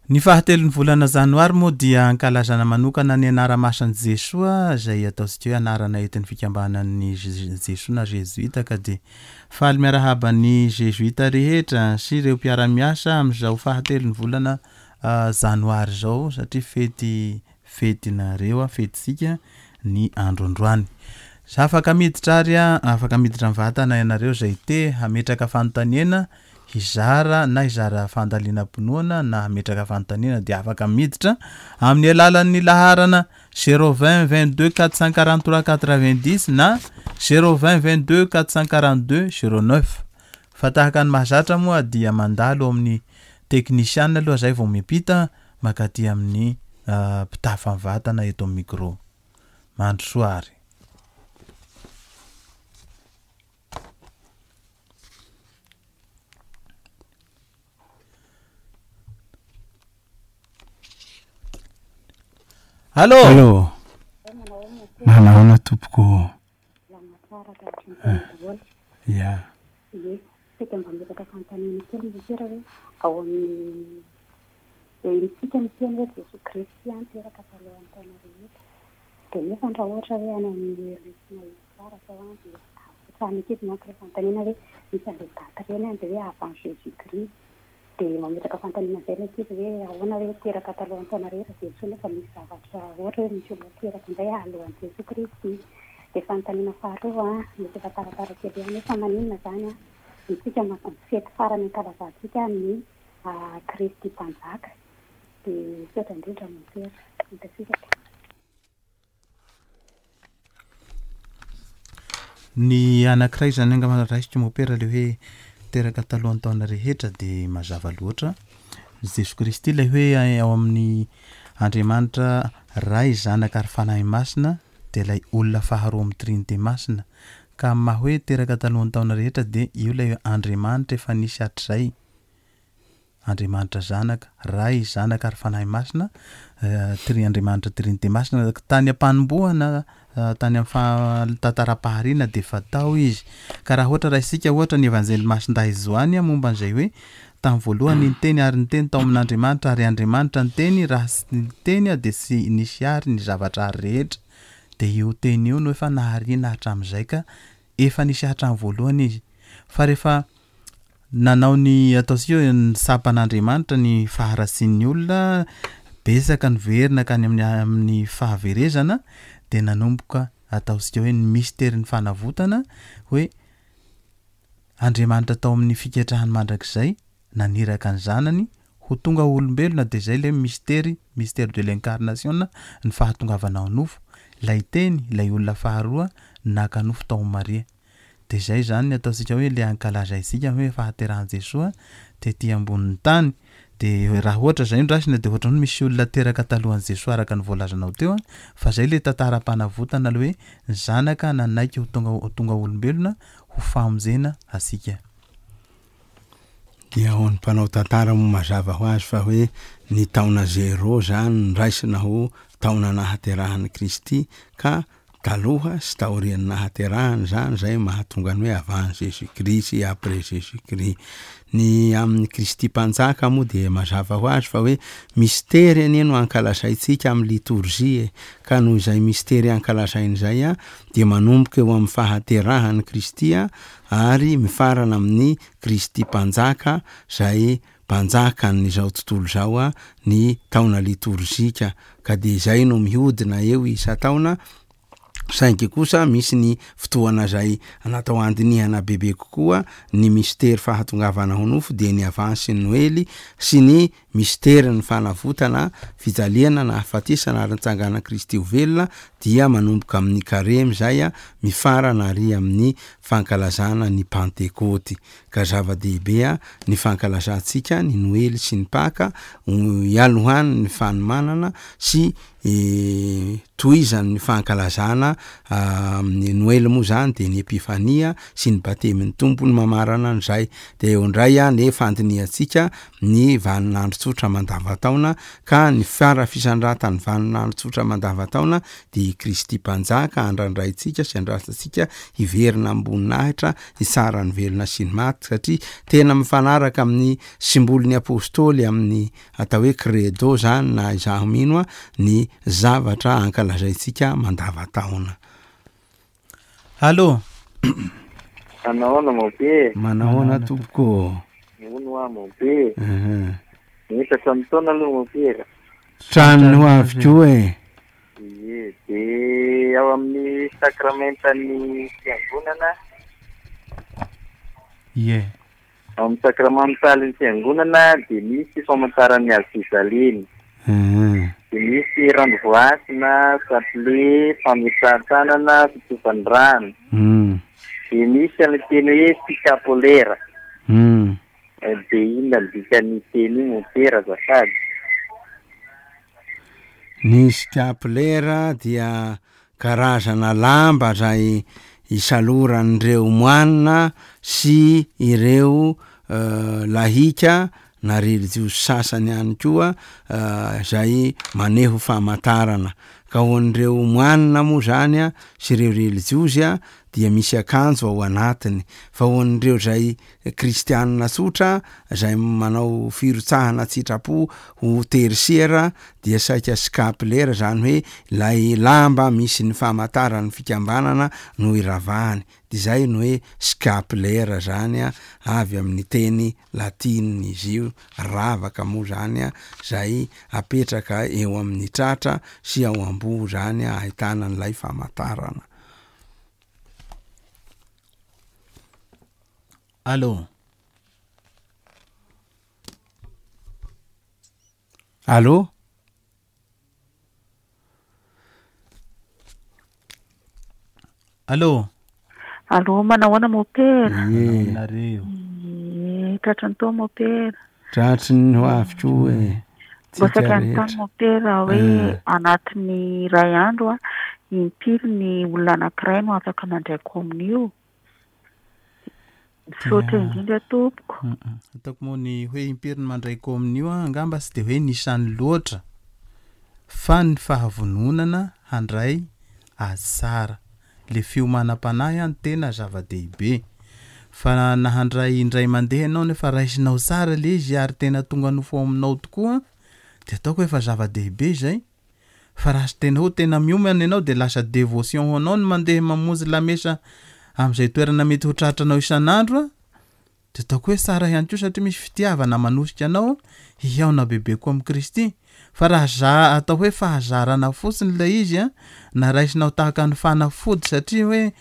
S1: Ny fahatelon'ny volana janoary moa dia ankalazana manokana ny anara-masin'i Jesoa izay ataontsika hoe anarana entin'ny fikambanan'ny Jesoa na Jezuita ka dia faly miarahaba ny Jezuita rehetra sy ireo mpiara-miasa amin'izao fahatelon'ny volana janoary izao satria fety fetinareo fetintsika ny andro androany. Afaka miditra ary afaka miditra mivantana ianareo izay te hametraka fanontaniana hizara na hizara fandalinam-pinoana na hametraka fanontaniana dia afaka miditra amin'ny alalan'ny laharana 020 22 443 90 na 020 22 442 09 fa tahaka ny mahazatra moa dia mandalo amin'ny teknisiana aloha zay vao miampita makaty amin'ny mpitafa mivantana eto amin'ny micro. Mandrosoa ary. Allô?
S5: Allô? Manahoana tompoko ô?
S6: Salama tsara ka hatramin'ny daholo.
S5: Ya.
S6: Ie, saika mba mametraka fanontaniana kely Monsieur hoe ao amin'ny dia isika miteny hoe Jesoa Kristy an teraka talohan'ny taona rehetra. Dia nefa raha ohatra hoe any amin'ny lesona histoire zao an dia apetrahana ankizy manko ilay fanontaniana hoe misy an'ilay daty ireny an dia hoe avant Jésus Christ. Dia mametraka fanontaniana amin'izay ilay ankizy hoe ahoana hoe teraka talohan'ny taona rehetra Jesoa nefa misy zavatra ohatra hoe misy olona teraka indray alohan'i Jesoa Kristy. Dia fanontaniana faharoa an, mety efa taratara kely ihany hoe fa maninona izany an, isika fety farany ankalazantsika ny Kristy Mpanjaka. Dia misaotra indrindra Mompera. Mankasitraka.
S1: Ny anankiray izany angamba raisiko Mompera ilay hoe teraka talohan'ny taona rehetra dia mazava loatra. Jesoa Kristy ilay hoe ao amin'ny Andriamanitra Ray, Zanaka ary Fanahy Masina dia ilay olona faharoa amin'ny Trinite Masina. Ka amin'ny maha hoe teraka talohan'ny taona rehetra dia io ilay Andriamanitra efa nisy hatrizay. Andriamanitra Zanaka, Ray, Zanaka ary Fanahy Masina, tri Andriamanitra Trinite Masina, tany am-panombohana, tany amin'ny faha tantaram-pahariana dia efa tao izy. Ka raha ohatra raisika ohatra ny Evanjely Masindahy Joany momba an'izay hoe tamin'ny voalohany ny Teny ary ny Teny tao amin'Andriamanitra ary Andriamanitra ny Teny, raha tsy ny Teny dia tsy nisy ary ny zavatra ary rehetra. Dia io Teny io no efa nahariana hatramin'izay ka efa nisy hatramin'ny voalohany izy. Fa rehefa Nanao ny ataontsika hoe ny sampan'Andriamanitra ny faharatsian'ny olona, betsaka ny very nankany amin'ny amin'ny fahaverezana dia nanomboka ataontsika hoe ny misterin'ny fanavotana hoe Andriamanitra tao amin'ny fiketrahany mandrakizay naniraka ny zanany ho tonga olombelona dia izay ilay mistery, mystère de l'incarnation ny fahatongavana ao nofo, ilay teny, ilay olona faharoa naka nofo tao amin'i Maria. Dia izay izany ny ataontsika hoe ilay ankalazaintsika hoe fahaterahan'i Jesoa tety ambonin'ny tany. Dia raha ohatra izay no raisina dia ohatran'ny hoe misy olona teraka talohan'i Jesoa araka ny voalazanao teo an, fa izay ilay tantaram-panavotana ilay hoe ny zanaka nanaiky ho tonga ho tonga olombelona ho famonjena antsika.
S5: Dia ho an'ny mpanao tantara moa mazava ho azy fa hoe ny taona zéro izany no raisina ho taona nahaterahan'i Kristy ka Taloha sy taorian'ny nahaterahany izany izay mahatonga ny hoe avant Jésus Christ sy après Jésus Christ. Ny amin'i Kristy Mpanjaka moa dia mazava ho azy fa hoe mistery anie no ankalazaintsika amin'ny litorjia e, ka noho izay mistery ankalazaina izay dia manomboka eo amin'ny fahaterahan'i Kristy ary mifarana amin'ny Kristy Mpanjaka izay. Mpanjakan'izao tontolo izao ny taona litorzika ka dia izay no mihodina eo isan-taona saingy kosa misy ny fotoana izay natao handinihana bebe kokoa ny mistery fahatongavana ho nofo dia ny avansy ny Noely sy ny misterin'ny fanavotana, fijaliana, nahafatesana ary nitsanganan'i Kristy ho velona dia manomboka amin'ny Karemy izay mifarana ary amin'ny fankalazana ny Pantekôty. Ka zava-dehibe ny fankalazantsika ny Noely sy ny Paka ialohan'ny fanomanana sy tohizan'ny fankalazana amin'ny Noely moa izany dia ny Epifania sy ny Batemin'ny Tompo no mamarana an'izay. Dia eo indray ny fandinihantsika ny vaninandro tsotra mandavantaona ka ny fara fisandratan'ny vaninandro tsotra mandavantaona dia i Kristy Mpanjaka andrandraintsika sy andrasantsika hiverina amim-boninahitra hitsara ny velona sy ny maty satria tena mifanaraka amin'ny simbolin'ny Apostoly amin'ny Atao hoe credo zany na izaho mino a ny zavatra ankalazaintsika mandavataona.
S4: Allo.
S7: Manahoana mon père.
S5: Manahoana tompoko ô.
S7: Hono hoa mon père. Mihisatra amin'ny taona aloha mon père.
S5: Tranony ho avy koa e.
S7: Ie, dia ao amin'ny sakramentan'ny fiangonana.
S4: Ie.
S7: Ao amin'ny sakramentalin'ny Fiangonana dia misy famantaran'ny hazo fijaliana. Dia misy rano voasina, chapelet, fametrahan-tanana, fitsofan'ny rano. Dia misy an'ilay teny hoe sikapolera. Dia inona ny dikan'io teny io mompera azafady?
S5: Ny sikapolera dia Karazana lamba izay isaloran'ireo moanina sy ireo lahika na relijiozy sasany ihany koa izay maneho famantarana. Ka ho an'ireo moanina moa izany sy ireo relijiozy dia misy akanjo ao anatiny, fa ho an'ireo izay kristianina tsotra izay manao firotsahana an-tsitrapo ho tertiaire dia saika scapulaire izany hoe ilay lamba misy ny famantaran'ny fikambanana no iravahany, dia izay no hoe scapulaire izany avy amin'ny teny latinina izy io, ravaka moa izany izay apetraka eo amin'ny tratra sy ao am-boho izany ahitana an'ilay famantarana.
S4: Allô.
S5: Allô.
S4: Allô.
S8: Allô, manahoana mopera?
S5: Ie.
S4: Nareo.
S8: Ie, tratry ny tao mopera.
S5: Tratry ny ho avy koa e.
S8: Mba
S5: Tsika
S8: saika hanontany
S5: rehetra.
S8: mopera hoe
S5: Eh.
S8: anatin'ny iray andro a, impiry ny olona anankiray no afaka mandray komonio? Misaotra
S4: Dia
S8: indrindra tompoko.
S4: Ataoko moa ny hoe impiry ny mandray komonio angamba tsy dia hoe nisany loatra fa ny fahavononana handray azy tsara. Le fiomanam-panahy no tena zava-dehibe. Fa na handray indray mandeha ianao nefa raisinao tsara le izy ary tena tonga nofo ao aminao tokoa dia ataoko hoe efa zava-dehibe izay. Fa raha tena hoe tena miomana ianao dia lasa dévotion ho anao ny mandeha mamonjy lamesa amin'izay toerana mety ho tratranao isan'andro a, dia ataoko hoe tsara ihany koa satria misy fitiavana manosika anao hihaona bebe koa amin'i Kristy. Fa raha za atao hoe fahazarana fotsiny ilay izy a, na raisinao tahaka ny fanafody satria hoe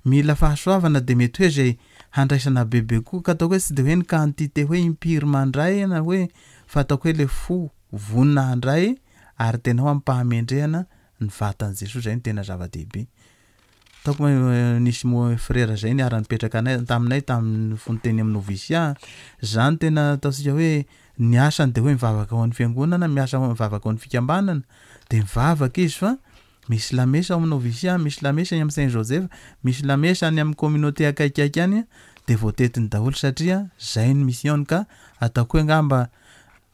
S4: mila fahasoavana dia mety hoe izay handraisana bebe koa ka ataoko hoe tsy dia hoe ny quantité hoe impiry mandray na hoe fa ataoko hoe ilay fo vonona handray ary tena ho amim-pahamendrehana ny vatan'i Jesoa izay no tena zava-dehibe. Ataoko hoe nisy mo frera zay niara-nipetraka anay taminay tamin'ny fony teny amin'ny noviciat, zany tena ataontsika hoe ny asany de hoe mivavaka ho an'ny fiangonana, miasa ho mivavaka ho an'ny fikambanana, de mivavaka izy fa misy lamesa ao amin'ny noviciat, misy lamesa any amin'ny Saint Joseph, misy lamesa any amin'ny communauté akaikikaiky any de voatetiny daholo satria zay ny mission-ny ka ataoko hoe angamba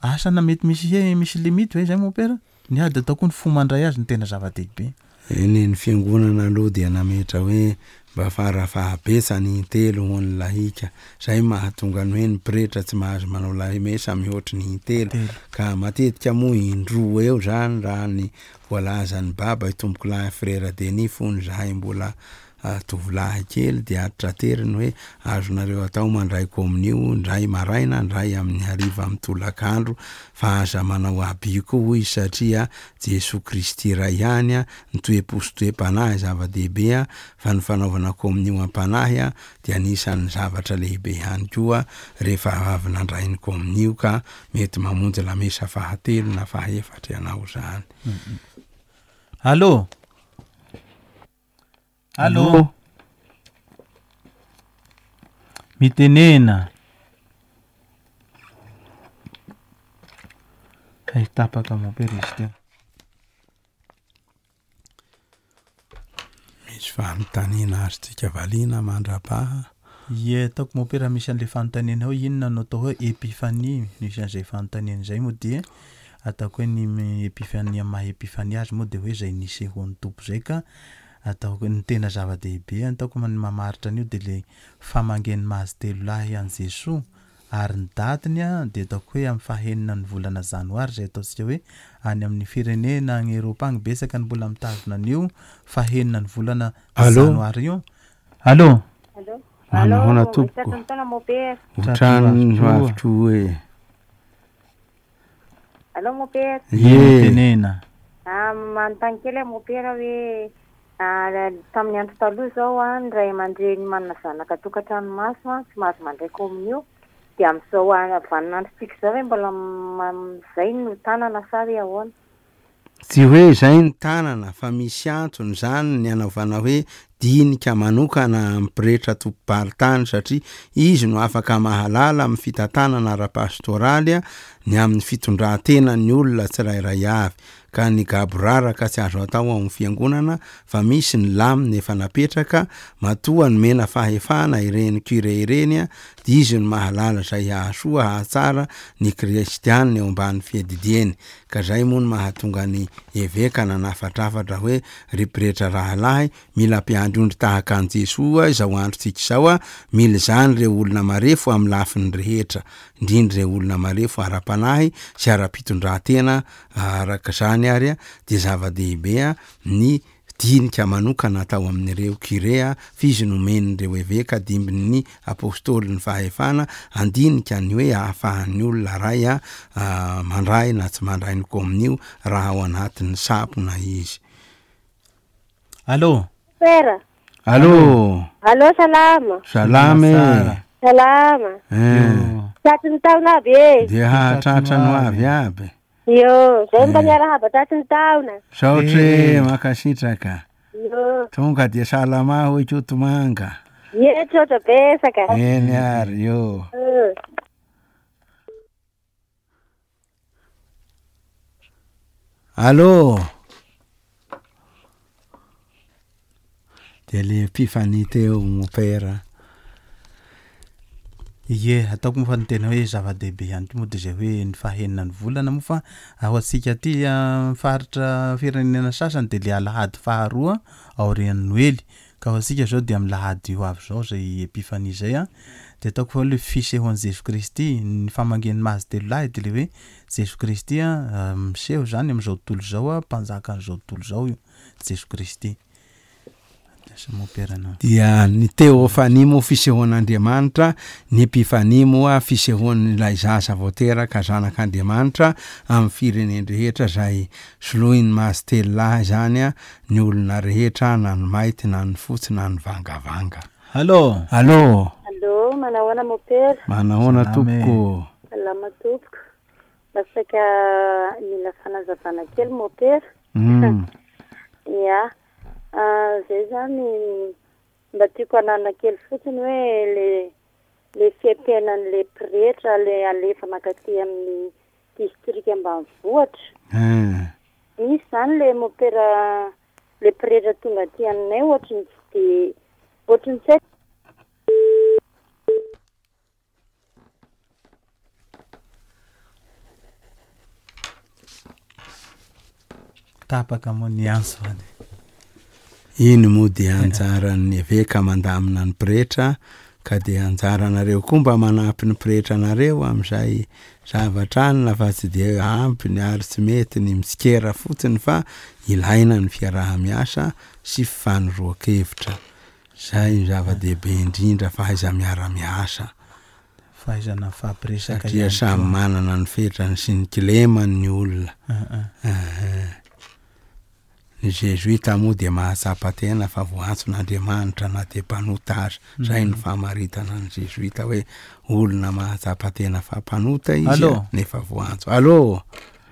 S4: asa na mety misy he misy limite ve zay mompera? Ny ady atao koa ny fo mandray azy no tena zava-dehibe.
S5: Eny, ny fiangonana aloha dia nametra hoe mba fara fahabetsany intelo ho an'ny lahika. Zay mahatonga ny hoe ny pretra tsy mahazo manao lamesa mihoatry ny intelo. Ka matetika moa indroa eo zany raha ny voalazan'i Baba Itompokolahy Frera Denis fony zahay mbola. tovolahy kely dia atrateriny hoe azonareo atao mandray kominio ndray maraina ndray amin'ny hariva amin'ny tolakandro fa aza manao abus koa hoy izy satria Jesoa Kristy iray ihany ny toe-po sy toe-panahy zava-dehibe fa ny fanaovana kominio am-panahy dia anisan'ny zavatra lehibe ihany koa rehefa avy nandray ny kominio ka mety mamonjy lamesa fahatelo na fahaefatra ianao izany.
S4: Allô? Allô? Mitenena. Hay tapaka mompera izy teo.
S5: Misy fanontaniana azontsika valiana mandrapaha.
S4: Ie, ataoko mompera misy an'ilay fanontaniana hoe inona no atao hoe epifania, misy an'izay fanontaniana izay moa dia ataoko hoe ny epifania amin'ny maha epifania azy moa dia hoe izay nisehoan'ny Tompo izay ka ataoko hoe ny tena zava-dehibe ataoko ny mamaritra an'io dia ilay famangian'ny mazy telo lahy an'i Jesoa Ary ny datiny dia ataoko hoe amin'ny fahenina ny volana janoary izay ataontsika hoe any amin'ny firenena any Eropa agny betsaka ny mbola mitazona an'io fahenina ny volana
S5: Allô?
S4: janoary io. Allô?
S6: Allô?
S5: Manahoana
S6: Allô,
S5: tompoko?
S6: tratry ny taona mopera.
S5: Ohatran'ny ho avy koa e.
S6: Allô mopera.
S5: Ie.
S4: Mitenena.
S6: Ah, manontany kely aho mopera hoe ah, tamin'ny andro taloha izao ah, ny ray aman-dreny manana zanaka tokantrano maso ah, tsy mahazo mandray kominio. Dia amin'izao ah, vaninandrontsika izao ve mbola izay no tanana sa hoe ahoana?
S5: Tsy hoe izay ny tanana fa misy antony izany ny anaovana hoe dinika manokana amin'ny pretra tompom-paritany satria izy no afaka mahalala amin'ny fitantanana ara-pastoraly ny amin'ny fitondran-tenan'ny olona tsirairay avy ka ny gaboraraka tsy azo atao ao amin'ny fiangonana fa misy ny lamina efa napetraka, matoa nomena fahefana ireny curé ireny dia izy no mahalala izay hahasoa hahatsara ny kristianina eo ambany fiadidiany, ka zay moa no mahatonga ny eveka nanafatrafatra hoe ry pretra rahalahy mila mpiandry ondry tahaka an'i Jesoa izao androntsika izao, mila izany ireo olona marefo amin'ny lafiny rehetra, indrindra ireo olona marefo ara-panahy sy ara-pitondrantena Araka izany ary dia zava-dehibe ny dinika manokana atao amin'ireo Curé f'izy nomen'ireo Eveka dimbin'ny Apostoly ny fahefana handinika ny hoe ahafahan'ny olona iray mandray na tsy mandray ny komonio raha ao anatin'ny sampona izy.
S4: Allô.
S9: Père.
S5: Allô.
S9: Allô salama.
S5: Salama e.
S9: Salama.
S5: Eh.
S9: Tratry ny taona aby e.
S5: Dia hahatratra ny ho avy aby.
S9: Io, zay mba miarahaba tratry ny taona.
S5: Saotra e, mankasitraka.
S9: Io.
S5: Tonga dia salama hoy Kotomanga.
S9: Ie, trotra betsaka.
S5: Eny ary, io.
S9: Io.
S5: Allô! Dia le Epiphanie teo mopera.
S4: Ie, ataoko moa fa ny tena hoe zava-dehibe ihany koa moa dia izay hoe ny fahenina ny volana moa fa ho antsika aty amin'ny faritra firenena sasany dia le alahady faharoa aorian'ny noely Ka ho antsika izao dia amin'ny lahady ho avy izao izay Epifania izay an, dia ataoko fa hoe ilay fisehoan'i Jesoa Kristy, ny famangian'ny mazy telo lahy dia ilay hoe Jesoa Kristy an, miseho izany amin'izao tontolo izao an, mpanjakan'izao tontolo izao io Jesoa Kristy. Lasa mompera anao.
S5: Dia ny Teofania moa fisehoan'Andriamanitra, ny Epifania moa fisehoan'ilay zaza vao teraka zanak'Andriamanitra amin'ny firenen-drehetra izay soloin'ny mazy telo lahy izany an, ny olona rehetra na ny maity na ny fotsy na ny vangavanga.
S4: Allo!
S5: Allo!
S9: Allo, manahoana mopera?
S5: Manahoana
S4: Salama e.
S5: tompoko?
S9: Salama tompoko. Mba saika mila fanazavana kely mopera.
S5: Hum.
S9: Ya. Zay zany mba tiako hanana kely fotsiny hoe le le fiaimpiainan'le pretra le alefa mankaty amin'ny distrika ambanivohitra.
S5: Hum.
S9: Misy zany le mopera le pretra tonga aty aminay ohatry ny tsy de ohatry ny tsy haiko.
S4: Tapaka moa ny antso any.
S5: Iny moa dia anjaran'ny eveka mandamina ny pretra ka dia anjaranareo koa mba manampy ny pretranareo amin'izay zavatra anona fa tsy dia ampy ny ary tsy mety ny mitsikera fotsiny fa ilaina ny fiaraha-miasa sy fifanoroan-kevitra. Zay no zava-dehibe indrindra, fahaiza-miara-miasa.
S4: Fahaizana mifampiresaka
S5: Satria
S4: ihany
S5: samy
S4: koa.
S5: manana ny fetrany sy ny kilemany ny olona.
S4: Aa.
S5: Ny Zezoita moa dia mahatsapa tena fa voantson'Andriamanitra na dia mpanota aza. Izay no famaritana ny Zezoita hoe olona mahatsapa tena fa mpanota izy
S4: Allô?
S5: nefa voantso. Allô?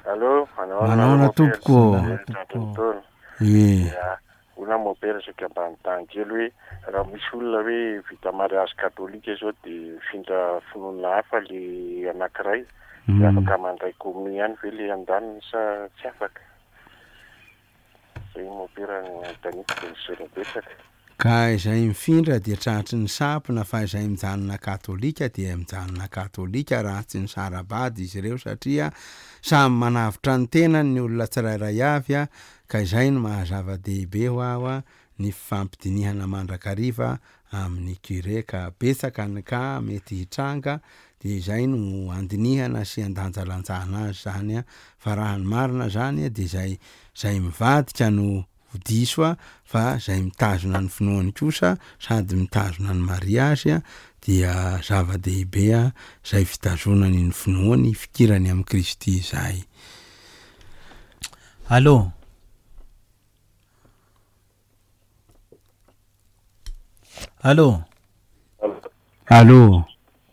S10: Allô, manao ahoana
S5: Manahoana
S10: nareo Mopera
S5: tompoko?
S10: sy nareo tratran'ny taona?
S5: Ie.
S10: Ya, hoy Mopera saika mba hanontany kely hoe raha misy olona hoe vita mariazy katolika izao dia mifindra finoana hafa le anankiray dia afaka mandray komonio ihany ve le andaniny sa tsy afaka? Zay mopera no anontaniako dia misaotra betsaka.
S5: Ka izay mifindra dia tratry ny sampona fa izay mijanona katolika dia mijanona katolika raha tsy nisara-bady izy ireo satria samy manavotra ny tenany ny olona tsirairay avy ka izay no maha zava-dehibe ho aho ny fifampidinihana mandrakariva amin'ny curé ka betsaka ny cas mety hitranga dia izay no andinihana sy andanjalanjana azy zany fa raha ny marina zany dia izay izay mivadika no ho diso fa izay mitazona ny finoany kosa sady mitazona ny mariazy dia zava-dehibe izay fitazonany ny finoany hifikirany amin'i Kristy izay.
S4: Allô. Allô.
S5: Allô.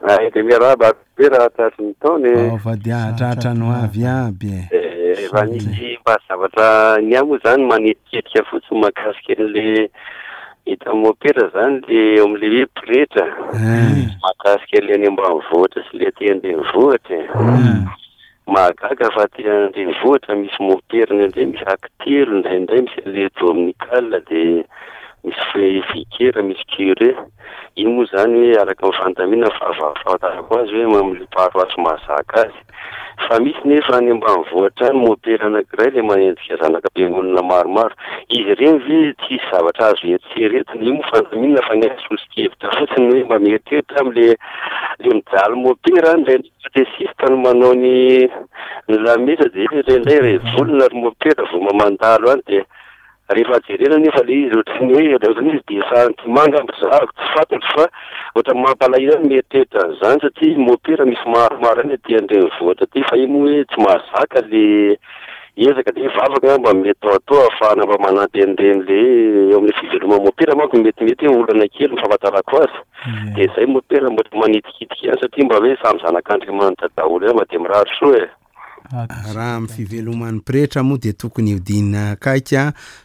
S11: Ay, dia miarahaba be raha tratry ny taona e.
S5: Ao fa dia hahatratra ny ho avy aby e.
S11: Eh, raha nisy mba zavatra ny ahy moa zany manetiketika fotsiny mahakasika an'le hita amin'ny mopera zany le eo amin'le hoe pretra mahakasika an'le any ambanivohitra sy le aty an-drenivohitra e. Mahagaga fa aty an-drenivohitra misy mopera indraindray misy actelo indraindray misy an'le dominical dia misy vicaire misy curé. Iny moa izany hoe araka ny fandaminana fahafantarako azy hoe amin'ilay paroasy mahazaka azy. Fa misy nefa any ambanivohitra any mopera anankiray ilay manenjika zanaka am-piangonana maromaro. Izy ireny ve tsisy zavatra azo eritreretina? Io moa fandaminana fa ny ahy soso-kevitra fotsiny hoe mba mieritreritra amin'ilay ilay mijaly mopera any indraindray katesista no manao ny ny lamesa dia indraindray revolina ry mopera vao mandalo any dia Rehefa jerena anefa ilay izy ohatran'ny hoe ohatran'ny izy dia santima angamba zahako tsy fantatro fa ohatran'ny mampalahelo ahy ny mieritreritra an'izany satria mopera misy maromaro ihany aty an-drenivohitra aty fa io moa hoe tsy mahazaka le ezaka dia vavaka angamba mety atao atao ahafahana mba manampy an'ireny le eo amin'ny fiveloman'ny mopera manko metimety hoe olana kely ny fahafantarako azy dia izay mopera mba manitikitika ihany satria mba hoe samy zanak'Andriamanitra daholo ihany mba dia mirary soa e.
S5: Raha amin'ny fiveloman'ny pretra moa dia tokony hodinina akaiky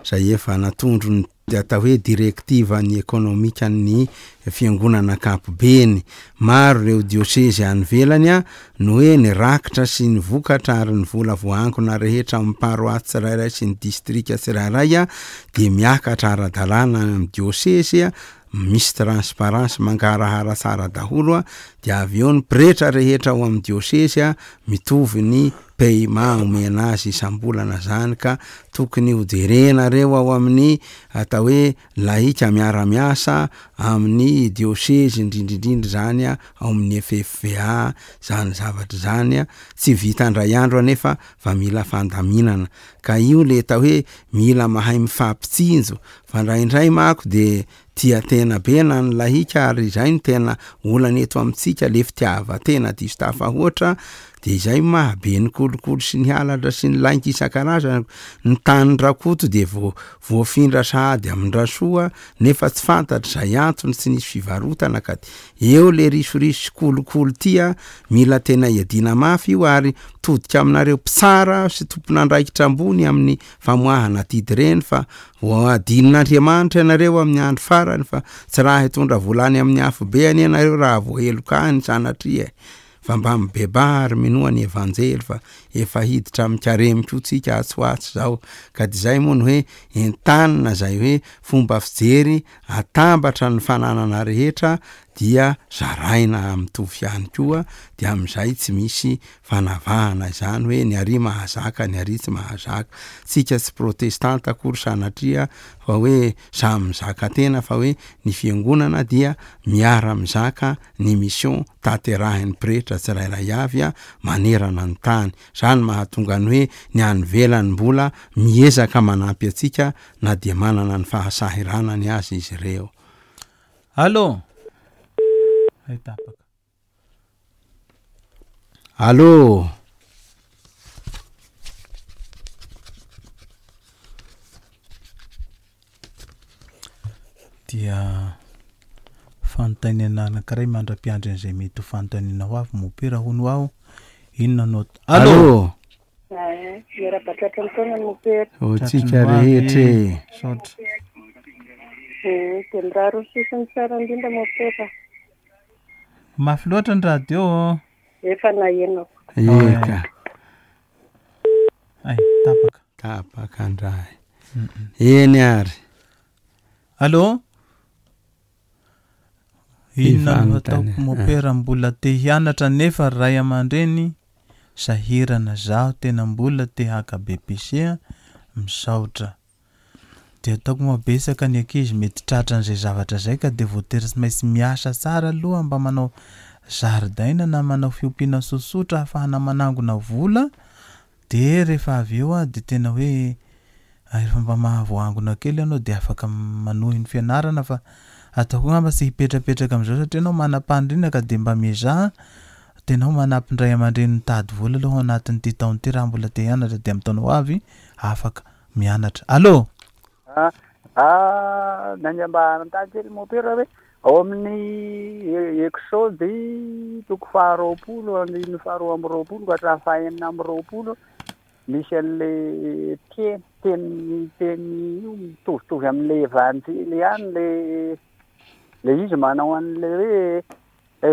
S5: izay efa natondron'ny atao hoe direktivan'ny ekonomikan'ny fiangonana ankapobeny. Maro ireo diosezy any ivelany no hoe ny rakitra sy ny vokatra ary ny vola voaangona rehetra amin'ny paroasy tsirairay sy ny distrika tsirairay dia miakatra ara-dalàna any amin'ny diosezy misy transparence mangarahara tsara daholo a, dia avy eo ny pretra rehetra ao amin'ny diosezy a mitovy ny paiement omena azy isam-bolana zany ka tokony ho jerenareo ao amin'ny atao hoe laika miara-miasa amin'ny diosezy indrindra indrindra zany a ao amin'ny FFVA zany zavatra zany a, tsy vita indray andro anefa fa mila fandaminana ka io le atao hoe mila mahay mifampitsinjo Fa indraindray mako de tia tena be na ny lahika ary izay no tena olana eto amintsika le fitiavan-tena diso tafahoatra de izay maha be ny kolikoly sy ny halatra sy ny lainga isan-karazany, ny tanin-dRakoto de vo- voafindra sahady amin-dRasoa nefa tsy fantatra izay antony tsy nisy fivarotana ka de eo le risoriso sy kolikoly ty a, mila tena iadiana mafy io ary mitodika aminareo mpitsara sy tompon'andraikitra ambony amin'ny famoahana adidy ireny fa ho adinon'Andriamanitra ianareo amin'ny andro farany fa tsy raha hitondra vola any amin'ny afobe anie ianareo raha voaheloka any sanatria e! fa mba mibebaha ary minoa ny Evanjely fa efa hiditra amin'ny karemy koa tsika atsy ho atsy izao ka dia izay moa no hoe entanina izay hoe fomba fijery atambatra ny fananana rehetra dia zaraina mitovy ihany koa dia amin'izay tsy misy fanavahana izany hoe ny ary mahazaka ny ary tsy mahazaka. Tsika tsy protestanta akory sanatria fa hoe samy mizaka tena fa hoe ny fiangonana dia miara mizaka ny mission tanterahin'ny pretra tsirairay avy manerana ny tany. Izany mahatonga ny hoe ny any ivelany mbola miezaka manampy antsika na dia manana ny fahasahiranany aza izy ireo.
S4: Allô? Hay tapaka.
S5: Allô?
S4: Dia fanontaniana anankiray mandra-piandry an'izay mety ho fanontaniana ho avy, Mopera hono aho, inona no at-
S5: Allô?
S12: Eh, miarahaba tratry ny taona Mopera.
S5: Ho antsika rehetra e.
S4: Misaotra.
S12: Eh, dia mirary ho sisiny tsara indrindra Mopera.
S4: Mafy loatra ny radio ô.
S12: Efa nahenako.
S5: Eka.
S4: Ay, tapaka.
S5: Tapaka ndray. Eny ary.
S4: Allô? Inona no
S5: Fanontaniana.
S4: ataoko mopera mbola te hianatra nefa ray aman-dreny sahirana zaho tena mbola te haka BEPC a, misaotra. Dia ataoko moa betsaka ny ankizy mety tratran'izay zavatra izay ka dia voatery tsy maintsy miasa tsara aloha mba manao zaridaina na manao fiompiana tsotsotra ahafahana manangona vola dia rehefa avy eo dia tena hoe rehefa mba mahavoangona kely ianao dia afaka manohy ny fianarana fa ataoko angamba tsy hipetrapetraka amin'izao satria ianao manam-paniriana ka dia mba miezaha tena ho manampy ny ray aman-dreny mitady vola aloha ao anatin'ity taona ity raha mbola te hianatra dia amin'ny taona ho avy afaka mianatra. Allô?
S13: Ah, ah, ny mba hanontany kely mopera hoe ao amin'ny Exode toko faharoapolo andininy faharoa amby roapolo ka hatramin'ny fahenina amby roapolo misy an'le teny teny teny io mitovitovy amin'le evanjely ihany le le izy manao an'le hoe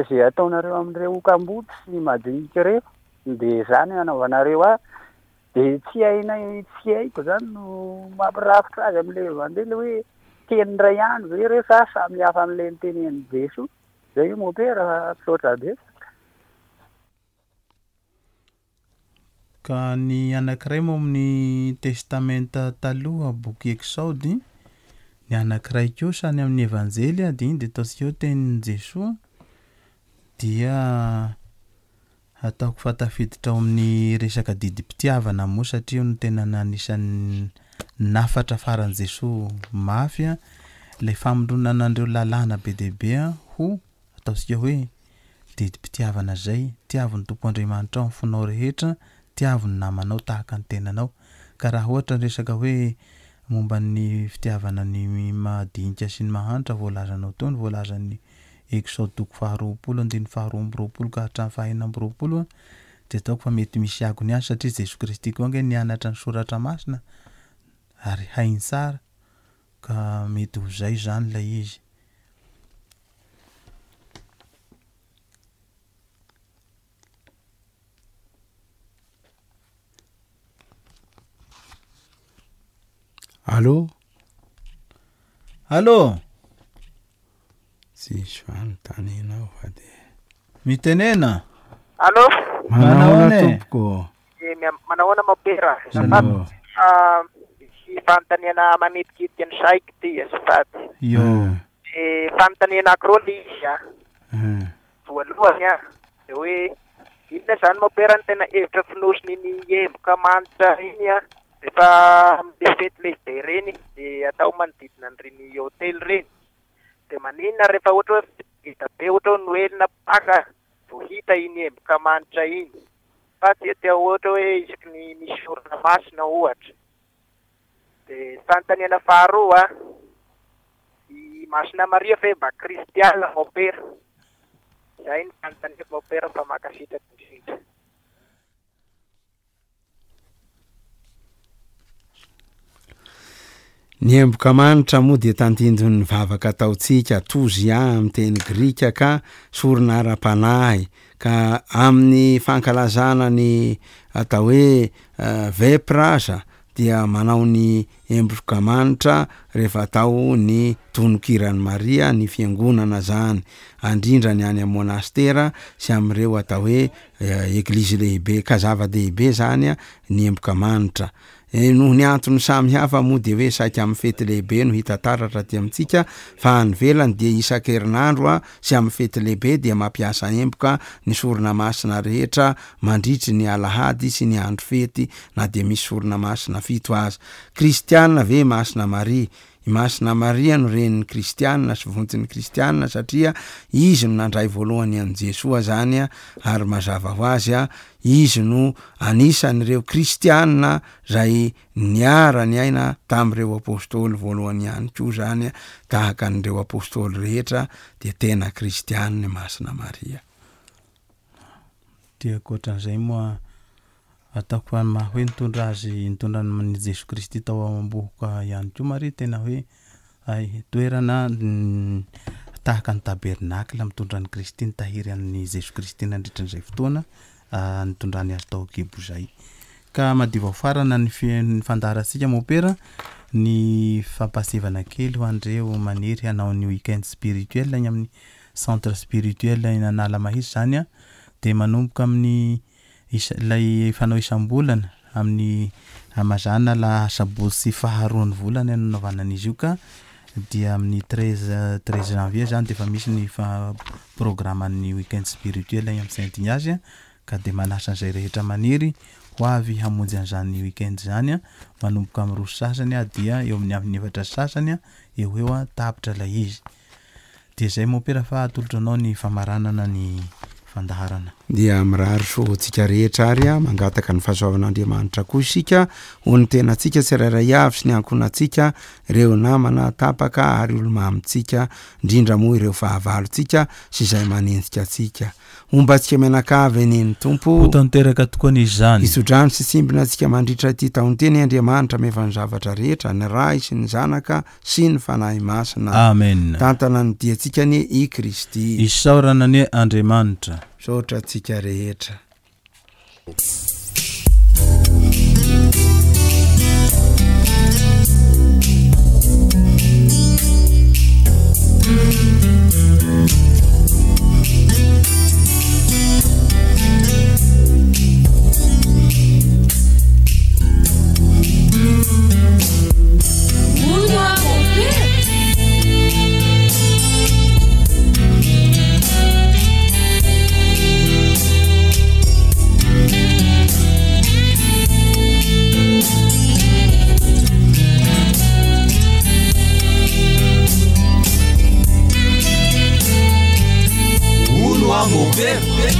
S13: izay ataonareo amin'ireo kamboty sy madinika ireo dia izany anaovanareo ahy Dia tsy hainay, tsy haiko izany no mampirafitra azy amin'ilay Evanjely hoe teny iray ihany ve ireo sa samy hafa amin'ilay notenenin'i Jesoa? Izay io Mompera fa misaotra betsaka.
S4: Ka ny anankiray moa amin'ny Testamenta Taloha, boky Eksaody, ny anankiray kosa any amin'ny Evanjely dia iny dia ataontsika hoe tenin'i Jesoa dia Ataoko fa tafiditra ao amin'ny resaka didim-pitiavana moa satria io no tena anisan'ny nafatra faran'i Jesoa mafy ilay famondronana an'ireo lalàna be dia be ho ataontsika hoe didim-pitiavana izay, tiavo ny Tompo Andriamanitrao amin'ny fonao rehetra, tiavo ny namanao tahaka ny tenanao. Ka raha ohatra ny resaka hoe momba ny fitiavana ny madinika sy ny mahantra voalazanao teo ny voalazan'ny Eksaody toko faharoapolo andininy faharoa amby roapolo ka hatramin'ny fahaenina amby roapolo dia ataoko fa mety misy akony ihany satria Jesoa Kristy koa ange nianatra ny soratra masina ary hainy tsara ka mety ho izay izany ilay izy.
S5: Allô?
S4: Allô?
S5: Tsisy fanontaniana ao fa dia.
S4: Mitenena.
S14: Allô?
S5: Manahoana tompoko?
S14: Eh, manahoana mopera?
S4: Salama.
S14: Ah, misy fanontaniana manitikitika ny saiko ty azafady.
S4: Yo.
S14: Eh, fanontaniana anankiroa le izy ah. Voalohany ah, de hoe inona zany mopera ny tena hevitra fonosin'iny emboka manitra iny ah, rehefa amle fety lehibe ireny de atao manodidina an'ireny hotely ireny. De maninona rehefa ohatra hoe fety ngeda be ohatra hoe noely na paka vao hita iny emboka manitra iny fa tsy atao ohatra hoe isaky ny misy orana masina ohatra. De fanontaniana faharoa, i Masina Maria ve mba kristiana mopera? Zay ny fanontaniako mopera fa mankasitraka indrindra.
S5: Ny emboka manitra moa dia tandindon'ny vavaka ataontsika, tozia amin'ny teny grika ka sorona ara-panahy, ka amin'ny fankalazana ny atao hoe vepra aza dia manao ny emboka manitra rehefa atao ny tononkiran'i Maria ny fiangonana zany, andrindra ny any amin'ny monastera sy amin'ireo atao hoe eglizy lehibe, ka zava-dehibe zany ny emboka manitra. Noho ny antony samy hafa moa dia hoe saika amin'ny fety lehibe no hita taratra aty amintsika fa any ivelany dia isan-kerinandro sy amin'ny fety lehibe dia mampiasa emboka ny sorona masina rehetra mandritry ny alahady sy ny andro fety na dia misy sorona masina fito aza. Kristiana ve Masina Maria? I Masina Maria no renin'ny kristiana sy vontin'ny kristiana satria izy no nandray voalohany an'i Jesoa zany ary mazava ho azy izy no anisan'ireo kristiana zay niara-niaina tamin'ireo apostoly voalohany ihany koa zany tahaka an'ireo apostoly rehetra dia tena kristiana i Masina Maria.
S4: Dia ankoatran'izay moa ataoko fa ny maha hoe nitondra azy nitondra an'i Jesoa Kristy tao am-bohoka ihany koa Maria tena hoe hay toerana tahaka ny tabernakla mitondra an'i Kristy nitahiry an'i Jesoa Kristy nandritra an'izay fotoana nitondrany azy tao an-kibo izay. Ka madiva ho farana ny ny fandaharantsika Mompera ny fampahasivana kely ho an'ireo maniry hanao ny week-end spirituel any amin'ny Centre spirituel eny Analamahitsy izany dia manomboka amin'ny isa ilay fanao isam-bolana amin'ny mazàna asabotsy faharoan'ny volana no anaovana an'izy io ka dia amin'ny treize treize janvier izany dia efa misy ny fa programan'ny week-end spirituel eny amin'ny Saint Ignace ka dia manasa an'izay rehetra maniry ho avy hamonjy an'izany week-end izany manomboka amin'ny roa sy sasany dia eo amin'ny amin'ny efatra sy sasany eo ho eo tapitra ilay izy. Dia izay mompera fa atolotro anao ny famaranana ny fandaharana.
S5: Dia mirary soa ho antsika rehetra ary mangataka ny fahasoavan'Andriamanitra koa isika ho ny tenantsika tsirairay avy sy ny ankohonantsika, ireo namana tapaka ary olo-mamintsika, indrindra moa ireo fahavalontsika sy izay manenjika antsika. Homba antsika mianakavy anie ny Tompo.
S4: Ho tanteraka tokoa anie izany.
S5: Hitsodrano sy hitsimbina antsika mandritra ity taon-teny Andriamanitra mefa ny zavatra rehetra, ny Ray sy ny Zanaka sy ny Fanahy Masina.
S4: Amen.
S5: Tantana ny diantsika anie i Kristy.
S4: Isaorana anie Andriamanitra.
S5: Misaotra antsika rehetra.
S2: Hono aho mopera.